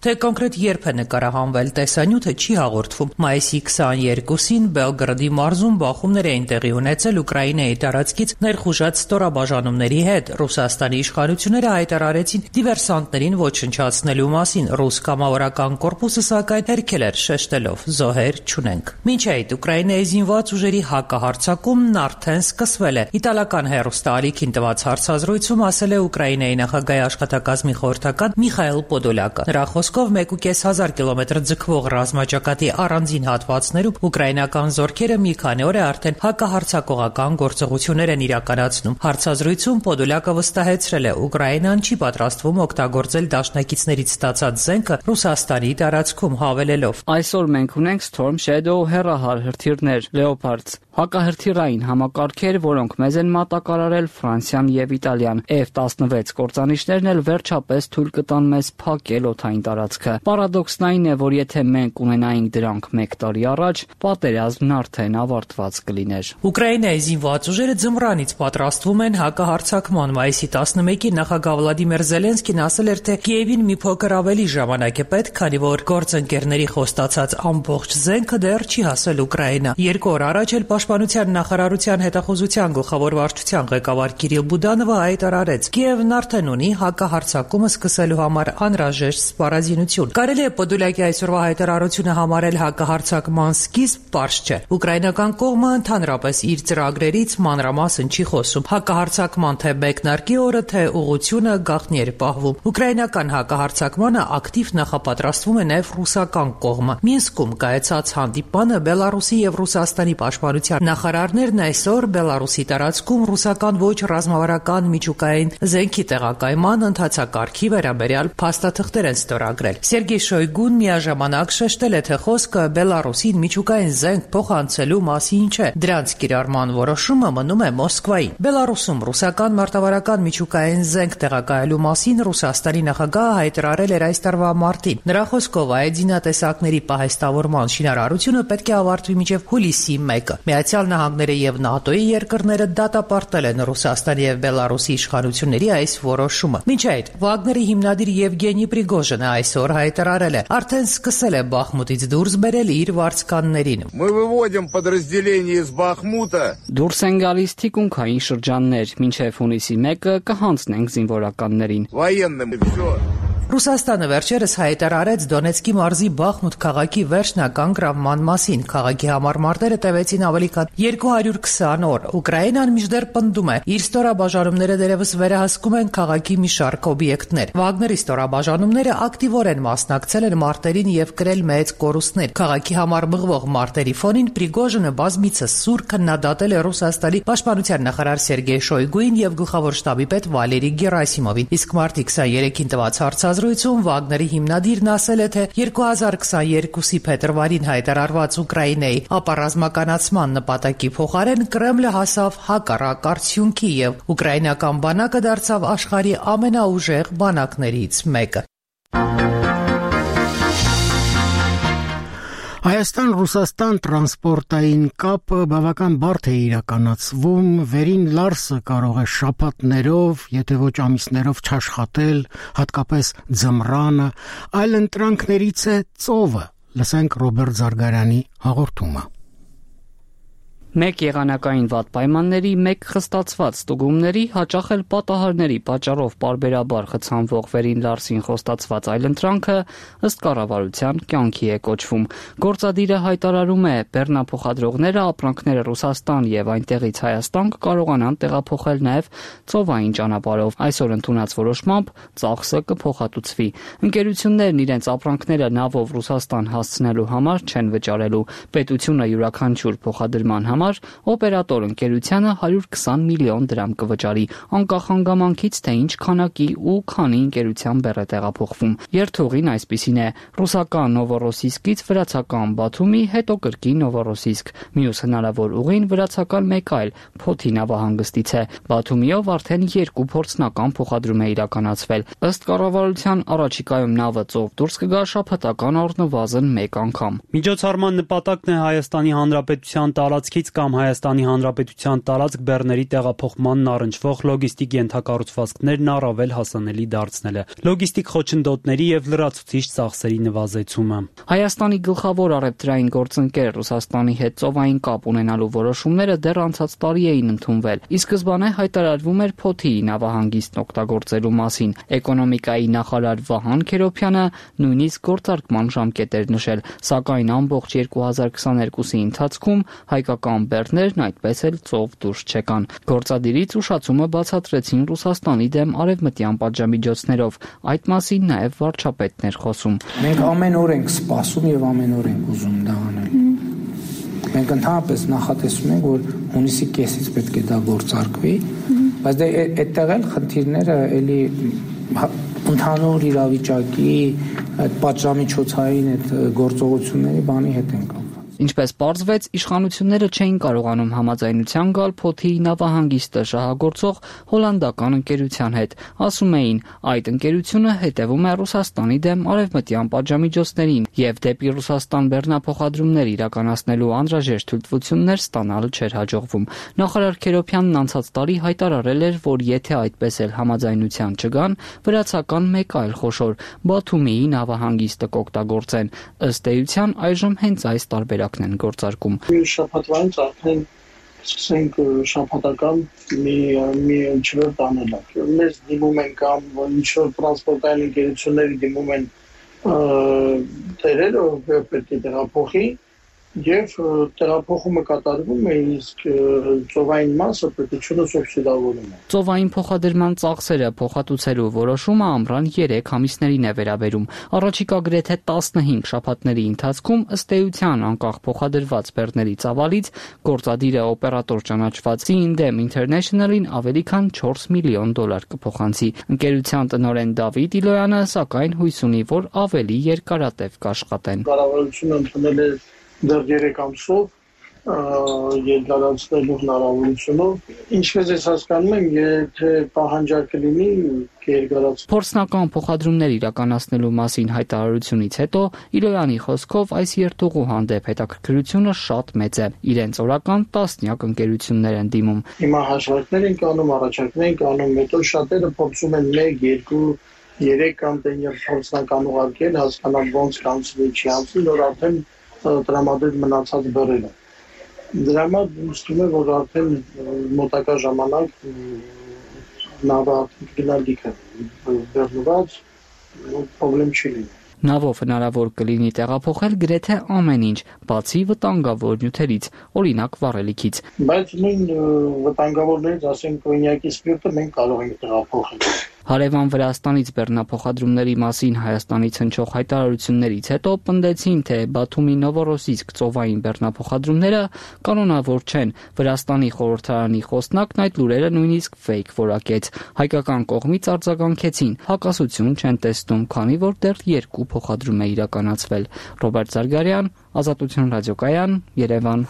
S22: Թե կոնկրետ երբ է նկարահանվել տեսանյութը չի հաղորդվում։ Մայիսի 22-ին Բելգրադի մարզում բախումներ էին տեղի ունեցել Ուկրաինայի տարածքից ներխուժած ստորաբաժանումների հետ։ Ռուսաստանի իշխանությունները հայտարարեցին դիվերսանտներին ոչնչացնելու մասին։ Ռուս կամավորական կորպուսը սակայն հերքել էր շեշտելով՝ զոհեր չունենք։ Մինչ այդ Ուկրաինայի զինված ուժերի հակահարձակումն արդեն սկսվել է։ Իտալական Ստալիկին տված հարցազրույցում ասել է Ուկրաինայի նախագահի աշխատակազմի խորհրդական Միխայել Պոդոլյակը։ Նրա խոսքով 1,500 կիլոմետր ձգվող ռազմաճակատի առանձին հատվածներում ուկրաինական զորքերը մի քանի օր է արդեն հակահարձակողական գործողություններ են իրականացնում։ Հարցազրույցում Պոդոլյակը վստահեցրել է Ուկրաինան չի պատրաստվում օգտագործել դաշնակիցներից ստացած զենքը Ռուսաստանի տարածքում, հավելելով.
S25: Այսօր մենք ունենք Storm Shadow հեռահար հրթիռներ, Leopards, հակահրթիռային համակարգեր, որոնք մեզ են մատակարարել Ֆրանսիան եւ Իտալիան։ F-16 կործանիչներն էլ վերջապես թույլ կտան մեզ փակել օդային տարածքը։ Պարադոքսն այն է, որ եթե մենք ունենայինք դրանք 1 տարի առաջ, պատերազմն արդեն ավարտված կլիներ։
S22: Ուկրաինայի զինված ուժերը ձմռանից պատրաստվում են հակահարձակման։ Մայիսի 11-ին նախագահ Վլադիմիր Զելենսկին ասել էր, թե Կիևին մի փոքր ավելի ժամանակ է պետք, քանի որ գործընկերների խոստացած ամբողջ զենքը դեռ չի հասել Ուկրաինա։ 2 օր առաջ էլ Պաշտպանության նախարարության հետախուզության գլխավոր վարչության ղեկավար Կիրիլ Բուդանովը հայտարարեց. Կիևն արդեն ունի հակահարձակումը սկսելու համար անհրաժեշտ սպառազինություն։ Կարելի է Պոդոլյակի այսօրվա հայտարարությունը համարել հակահարձակման սկիզբ, պարզ չէ։ Ուկրաինական կողմը ընդհանրապես իր ծրագրերից մանրամասն չի խոսում։ Հակահարձակման թե մեկնարկի օրը, թե ուղղությունը գաղտնի էր պահվում։ Ուկրաինական հակահարձակմանը ակտիվ նախապատրաստվում է նաև ռուսական կողմը։ Մինսկում կայացած հանդիպանը Բելարուսի եւ Ռուսաստանի պաշտպանության նախարարներն այսօր Բելարուսի տարածքում ռուսական ոչ ռազմավարական միջուկային զենքի տեղակայման ընթացակարգի վերաբերյալ փաստաթղթեր են ստորագրել։ Սերգեյ Շոյգուն միաժամանակ շեշտել է, թե խոսքը Բելարուսին միջուկային զենք փոխանցելու մասին չէ։ Դրանց կիրառման որոշումը մնում է Մոսկվային։ Բելարուսում ռուսական մարտավարական միջուկային զենք տեղակայելու մասին Ռուսաստանի նախագահը հայտարարել էր այս տարվա մարտին։ Նրա խոսքով այդ զինատեսակների պահեստավորման շինարարությունը պետք է ավարտվի մինչև հուլիսի 1-ը։ Միացյալ Նահանգները եւ ՆԱՏՕ-ի երկրները դատապարտել են Ռուսաստանի եւ Բելարուսի իշխանությունների այս որոշումը։ Մինչ այդ Վագների հիմնադիր Եվգենի Պրիգոժինը այսօր հայտարարել է, արդեն սկսել է Բախմուտից դուրս բերել իր վարձկաններին։
S3: Мы выводим подразделения из Бахмута.
S25: Դուրս են գալիս թիկունքային շրջաններ, մինչև հունիսի 1-ը կհանձնենք զինվորականներին։
S3: Военным всё.
S22: Ռուսաստանը վերջերս հայտարարեց Դոնեցկի մարզի Բախմուտ քաղաքի վերջնական գրավման մասին։ Քաղաքի համար մարտերը տևեցին ավելի քան 220 օր։ Ուկրաինան մինչդեռ պնդում է, իր ստորաբաժանումները դերևս վերահսկում են քաղաքի մի շարք օբյեկտներ։ Վագների ստորաբաժանումները ակտիվորեն մասնակցել են մարտերին եւ կրել մեծ կորուստներ։ Քաղաքի համար մղվող մարտերի ֆոնին Պրիգոժինը բազմիցս սուր քննադատել է Ռուսաստանի պաշտպանության նախարար Սերգեյ Շոյգուին եւ գլխավոր շտաբի պետ Վալերի Գերասիմովին։ Իսկ մարտի 23-ին տված հարցազրույցում Վագների հիմնադիրն ասել է, թե 2022-ի փետրվարին հայտարարված Ուկրաինայի ապառազմականացման նպատակի փոխարեն Կրեմլը հասավ հակառակ արդյունքի եւ ուկրաինական բանակը դարձավ աշխարհի ամենաուժեղ բանակներից մեկը։
S1: Հայաստան-Ռուսաստան տրանսպորտային կապը բավական բարդ է իրականացվում, վերին Լարսը կարող է շաբաթներով, եթե ոչ ամիսներով չաշխատել, հատկապես ձմռանը, այլ ընտրանքներից է ծովը։ Լսենք Ռոբերտ Զարգարյանի հաղորդումը։
S25: Մեկ եղանակային վատ պայմանների, մեկ խստացված ստուգումների, հաճախ էլ պատահարների պատճառով պարբերաբար խցանվող վերին Լարսին խոստացված այլընտրանքը ըստ կառավարության կյանքի է կոչվում։ Գործադիրը հայտարարում է, բեռնափոխադրողները ապրանքները Ռուսաստան եւ այնտեղից Հայաստան կկարողանան տեղափոխել նաեւ ծովային ճանապարհով։ Այսօր ընդունած որոշմամբ ծախսը կփոխհատուցվի։ Ընկերություններն իրենց ապրանքները նավով Ռուսաստան հասցնելու համար չեն վճարելու։ Պետությունը յուրաքանչյուր փոխադրման համար օպերատոր ընկերությանը 120 միլիոն դրամ կվճարի, անկախ հանգամանքից, թե ինչ քանակի ու քանի ընկերության բեռ է տեղափոխվում։ Երթուղին այսպիսին է. ռուսական Նովորոսիսկից վրացական Բաթումի, հետո կրկին Նովորոսիսկ։ Մյուս հնարավոր ուղին վրացական մեկ այլ Փոթի նավահանգստից է։ Բաթումիով արդեն 2 փորձնական փոխադրում է իրականացվել։ Ըստ կառավարության առաջիկայում նավը ծով դուրս կգա շաբաթական առնվազն 1 անգամ։
S12: Միջոցառման նպատակն է Հայաստանի Հանրապետության տարածքից կամ Հայաստանի Հանրապետության տարածք բեռների տեղափոխմանն առնչվող լոգիստիկ ենթակառուցվածքներն առավել հասանելի դարձնելը, լոգիստիկ խոչընդոտների եւ լրացուցիչ ծախսերի նվազեցումը։
S25: Հայաստանի գլխավոր առևտրային գործընկեր Ռուսաստանի հետ ծովային կապ ունենալու որոշումները դեռ անցած տարի էին ընդունվել։ Ի սկզբանե հայտարարվում էր Փոթիի նավահանգիստն օգտագործելու մասին։ Էկոնոմիկայի նախարար Վահան Քերոփյանը նույնիսկ գործարկման ժամկետ էր նշել, սակայն ամբողջ 2022-ի ընթացքում հայկական բեռներն այդպես էլ ծով դուրս չեկան։ Գործադիրից ուշացումը բացատրեցին Ռուսաստանի դեմ արևմտյան պատժամիջոցներով, այդ մասին նաև վարչապետն էր խոսում։
S14: Մենք ամեն օր ենք սպասում եւ ամեն օր ենք ուզում դա անել։ Մենք ընդհանրապես նախատեսում ենք, որ հունիսի կեսից պետք է դա գործարկվի, բայց դե այդտեղ էլ խնդիրները էլի ընդհանուր իրավիճակի այդ պատժամիջոցային այդ գործողությունների բանի հետ են կապված։
S25: Ինչպես պարզվեց, իշխանությունները չէին կարողանում համաձայնության գալ Փոթիի նավահանգիստը շահագործող հոլանդական ընկերության հետ։ Ասում էին, այդ ընկերությունը հետևում է Ռուսաստանի դեմ արևմտյան պատժամիջոցներին եւ դեպի Ռուսաստան բեռնափոխադրումներ իրականացնելու անհրաժեշտ թույլտվություններ ստանալը չէր հաջողվում։ Նախարար Քերոփյանն անցած տարի հայտարարել էր, որ եթե այդպես էլ համաձայնության չգան, վրացական մեկ այլ խոշոր Բաթումիի նավահանգիստը կօգտագործեն։ Ըստ էության այժմ հենց այս տարբերակն են գործարկում։
S4: Մյուս շաբաթվանից արդեն սկսենք շաբաթական մի չվերթ անել։ Մեզ դիմում են կամ ինչ-որ տրանսպորտային ընկերությունների դիմում են տերերը, ով պետք է տեղափոխի, եւ տեղափոխումը կատարվում է, իսկ ծովային մասը պետությունը սուբսիդավորում է։
S25: Ծովային փոխադրման ծախսերը փոխհատուցելու որոշումը ամռան 3 ամիսներին է վերաբերում։ Առաջիկա գրեթե 15 շաբաթների ընթացքում ըստ էության անկախ փոխադրված բեռների ծավալից գործադիրը օպերատոր ճանաչված Cindem International-ին ավելի քան $4 միլիոն կփոխանցի։ Ընկերության տնօրեն Դավիթ Իլոյանը սակայն հույս ունի, որ ավելի երկարատև կաշխատեն։
S4: Կառավարությունը ընդունել է դեռ 3 ամսով երկարացնելու հնարավորությունով, ինչպես ես հասկանում եմ, եթե պահանջարկը լինի երկարացնել։
S25: Փորձնական փոխադրումներ իրականացնելու մասին հայտարարությունից հետո Իրոյանի խոսքով այս երթուղու հանդեպ հետաքրքրությունը շատ մեծ է։ Իրենց օրական տասնյակ ընկերություններ են դիմում։
S4: Հիմա հաշվարկներ են անում, առաջարկներ են անում, հետո շատերը փորձում են 1, 2, 3 կամպանիա փորձնական ուղարկել, հասկանալ ոնց կանցնի, չի անցնի, որ արդեն տրամադրել մնացած բեռերը։ Դրա համար ուստում է, որ արդեն մոտակա ժամանակ նավը արդեն գնալիք է բեռնված, պրոբլեմ չի լինի։
S25: Նավով հնարավոր կլինի տեղափոխել գրեթե ամեն ինչ, բացի վտանգավոր նյութերից, օրինակ վառելիքից։
S4: Բայց նույն վտանգավորներից, ասենք կոնյակի սպիրտը մենք կարող ենք տեղափոխել։
S25: Հարևան Վրաստանից բեռնափոխադրումների մասին Հայաստանից հնչող հայտարարություններից հետո պնդեցին, թե Բաթումի Նովորոսիսկ ծովային բեռնափոխադրումները կանոնավոր չեն։ Վրաստանի խորհրդարանի խոսնակն այդ լուրերը նույնիսկ ֆեյք որակեց։ Հայկական կողմից արձագանքեցին, հակասություն չեն տեսնում, քանի որ դեռ 2 փոխադրում է իրականացվել։ Ռոբերտ Զարգարյան, Ազատություն ռադիոկայան, Երևան։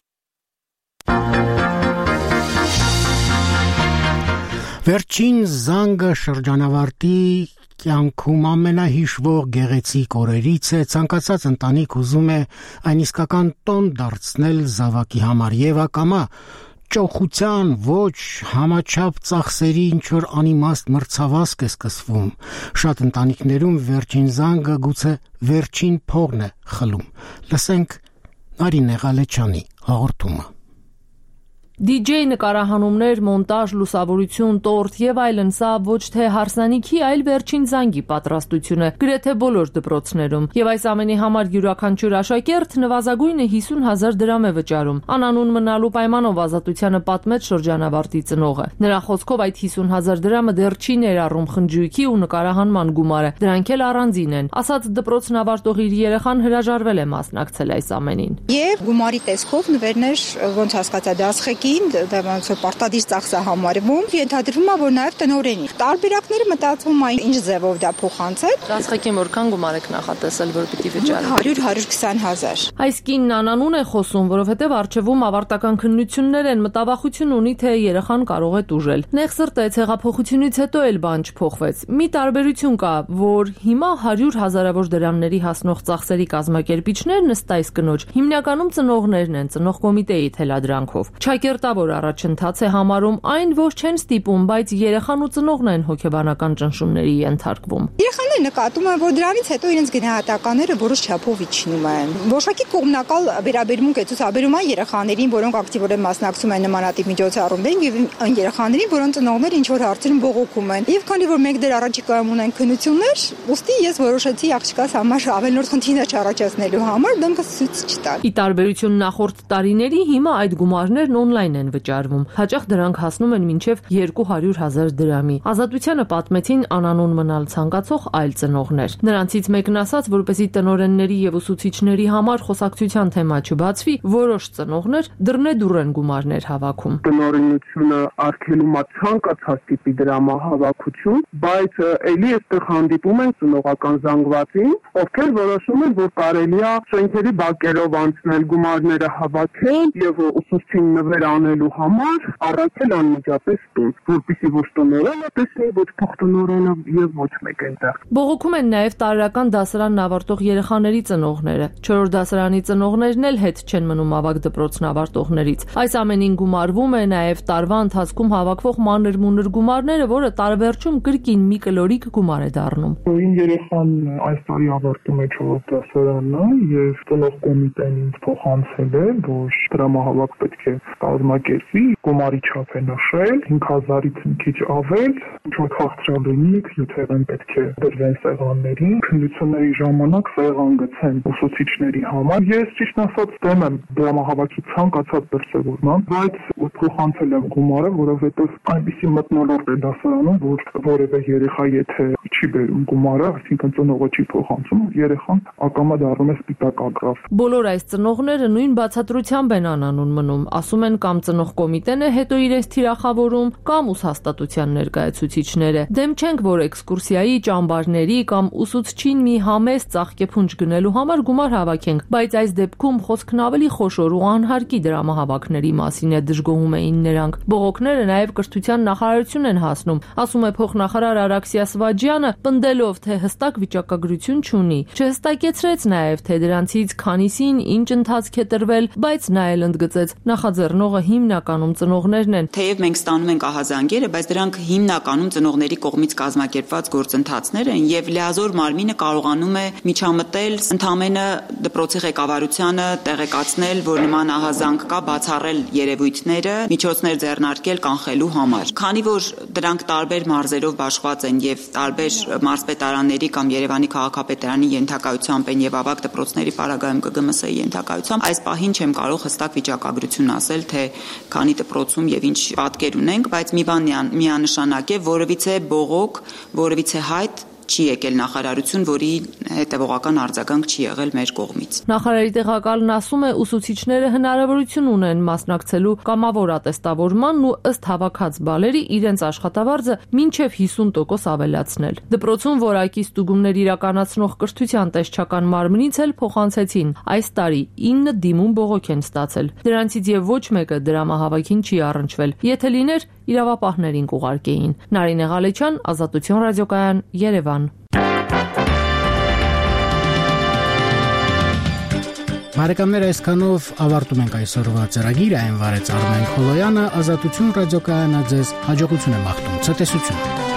S1: Վերջին զանգը շրջանավարտի կյանքում ամենահիշվող գեղեցիկ օրերից է, ցանկացած ընտանիք ուզում է այն իսկական տոն դարձնել զավակի համար եւ ակամա ճոխության ոչ համաչափ ծախսերի ինչ-որ անիմաստ մրցավազք է սկսվում։ Շատ ընտանիքներում վերջին զանգը գուցե վերջին փողն է խլում։ Լսենք Արինե Ղալեչյանի հաղորդումը։
S5: DJ նկարահանումներ, մոնտաժ, լուսավորություն, տորտ եւ այլն, սա ոչ թե հարսանիքի, այլ վերջին զանգի պատրաստությունը գրեթե բոլոր դպրոցներում։ Եվ այս ամենի համար յուրաքանչյուր աշակերտ նվազագույնը 50,000 դրամ է վճարում։ Անանուն մնալու պայմանով Ազատությանը պատմեց շրջանավարտի ծնողը։ Նրա խոսքով այդ 50,000 դրամը դեռ չի ներառում խնջույքի ու նկարահանման գումարը, դրանք էլ առանձին են։ Ասած դպրոցն ավարտող իր երեխան հրաժարվել է մասնակցել այս ամենին։
S6: Եվ գումարի տեսքով նվերներ ոնց հասկացա դասխեկի դա ոնց պարտադիր ծախս է համարվում, ենթադրվում է, որ նաև տնօրենի։ Տարբերակները մտածում են ինչ ձևով դա փոխանցել։
S5: Դասխեկին որքան գումար եք նախատեսել, որ պիտի վճարեք։
S6: 100-120,000։
S5: Այս կինն անանուն է խոսում, որովհետև արժևում ավարտական քննություններ են, մտավախություն ունի, թե երեխան կարող է տուժել։ Նեղ սրտեց հեղափոխությունից հետո էլ բան չփոխվեց։ Մի տարբերություն կա, որ հիմա 100,000-ավոր դրամների հասնող ծախսերի կազմակերպիչներն ըստ այս կնոջ հիմնականում ծնողներն են, ծնող կոմիտեի թելադրանքով։ Ճակերտավոր առաջընթաց է համարում այն, որ չեն ստիպում, բայց երեխան ու ծնողն են հոգեբանական ճնշումների ենթարկվում։
S6: Երեխաները նկատում են, որ դրանից հետո իրենց գնահատականները որոշ չափով իջնում են։ Որոշակի կողմնակալ վերաբերմունք է ցուցաբերում այն երեխաներին, որոնք ակտիվորեն մասնակցում են նմանատիպ միջոցառումներին, եւ այն երեխաներին, որոնց ծնողները ինչ որ հարցերում բողոքում են։ Եվ քանի որ մենք դեռ առաջիկայում ունենք քննություններ, ուստի ես որոշեցի աղջկաս համար ավելորդ խնդիրներ չառաջացնելու համար դեմքս ցույց չտալ։
S5: Ի տարբերություն նախորդ տարիների, հիմա այդ գումարներն օնլայն են վճարվում։ Հաճախ դրանք հասնում են մինչև 200,000 դրամի։ Ազատությանը պատմեցին անանուն մնալ ցանկացող այլ ծնողներ։ Նրանցից մեկն ասաց, որպեսզի տնօրենների եւ ուսուցիչների համար խոսակցության թեմա չբացվի, որոշ ծնողներ դռնեդուռ են գումարներ հավաքում։
S7: Տնօրենությունը արգելում է ցանկացած տիպի դրամահավաքություն, բայց ելի այստեղ հանդիպում են ծնողական զանգվածին, ովքեր որոշում են, որ կարելի է շենքերի բակերով անցնել գումարները հավաքել եւ ուսուցչին նվեր անելու համար առաքել անմիջապես տուն, որպեսզի ոչ տնօրենը տեսնի, ոչ փոխտնօրենը եւ ոչ մեկ այնտեղ։
S5: Բողոքում են նաեւ տարրական դասարանն ավարտող երեխաների ծնողները։ 4-րդ դասարանի ծնողներն էլ հետ չեն մնում ավագ դպրոցն ավարտողներից։ Այս ամենին գումարվում է նաեւ տարվա ընթացքում հավաքվող մանր-մունր գումարները, որը տարեվերջում կրկին մի կլորիկ գումար է դառնում։
S7: Իմ երեխան այս տարի ավարտում է 4-րդ դասարանը եւ ծնող կոմիտեն ինձ փոխանցել է, որ դրամահավաք պետք է կազմակերպվի, գումարի չափ է նշել 5,000-ից մի քիչ ավել, ինչ-որ խաղցրալենիք, յութեղեն պետք է դրվեն սեղաններին, քննությունների ժամանակ սեղան գցեն ուսուցիչների համար։ Ես ճիշտ ասած դեմ եմ դրամահավաքի ցանկացած դրսևորման, բայց փոխանցել եմ գումարը, որովհետև այնպեսի մթնոլորտ է դասարանում, որ որևէ երեխա եթե չի բերում գումարը, այսինքն ծնողը չի փոխանցում, երեխան ակամա դառնում է սպիտակ ագրավ։
S5: Բոլոր այս ծնողները նույն բացատրությամբ են անանուն մնում, ասում են կամ ծնող կոմիտեն են հետո իրենց թիրախավորում կամ ուսհաստատության ներկայացուցիչները։ Դեմ չենք, որ էքսկուրսիայի, ճամբարների կամ ուսուցչին մի համեստ ծաղկեփունջ գնելու համար գումար հավաքենք, բայց այս դեպքում խոսքն ավելի խոշոր ու անհարկի դրամահավաքների մասին է, դժգոհում էին նրանք։ Բողոքները նաև կրթության նախարարություն են հասնում, ասում է փոխնախարար Արաքսիա Սվաջյանը, պնդելով, թե հստակ վիճակագրություն չունի։ Չհստակեցրեց նաև, թե դրանցից քանիսին ինչ ընթացք է տրվել, բայց նա էլ ընդգծեց, նախաձեռնողը հիմնականում ծնողներն են։
S8: Թեև մենք ստանում ենք ահազանգերը, բայց դրանք հիմնականում ծնողների կողմից կազմակերպված գործընթացներ են եւ լիազոր մարմինը կարողանում է միջամտել, ընդամենը դպրոցի ղեկավարությանը տեղեկացնել, որ նման ահազանգ կա, բացառել երևույթները, միջոցներ ձեռնարկել կանխելու համար։ Քանի որ դրանք տարբեր մարզերով բաշխված են եւ տարբեր մարզպետարանների կամ Երևանի քաղաքապետարանի ենթակայությամբ են եւ ավագ դպրոցների պարագայում ԿԳՄՍ-ի ենթակայությամբ, այս պահին չեմ կարող հստակ վիճակագրություն ասել, թե քանի դպրոցում եւ ինչ պատկեր ունենք, բայց մի բան միանշանակ է, որևիցե բողոք, որևիցե հայտ չի եկել նախարարություն, որի հետևողական արձագանք չի եղել մեր կողմից։
S5: Նախարարի տեղակալն ասում է, ուսուցիչները հնարավորություն ունեն մասնակցելու կամավոր ատեստավորմանն ու ըստ հավաքած բալերի իրենց աշխատավարձը մինչև 50% ավելացնել։ Դպրոցում որակի ստուգումներ իրականացնող կրթության տեսչական մարմնից էլ փոխանցեցին։ Այս տարի 9 դիմում բողոք են ստացել։ Դրանցից եւ ոչ մեկը դրամահավաքին չի առնչվել։ Եթե լիներ, իրավապահներին կուղարկեին։ Նարինե Ղալեչյան, Ազատություն ռադիոկայան, Երևան։
S1: Բարեկամներ, այսքանով ավարտում ենք այսօրվա ծրագիրը, այն վարեց Արմեն Խոլոյանը, Ազատություն ռադիոկայանը ձեզ հաջողություն է մաղթում, ցտեսություն։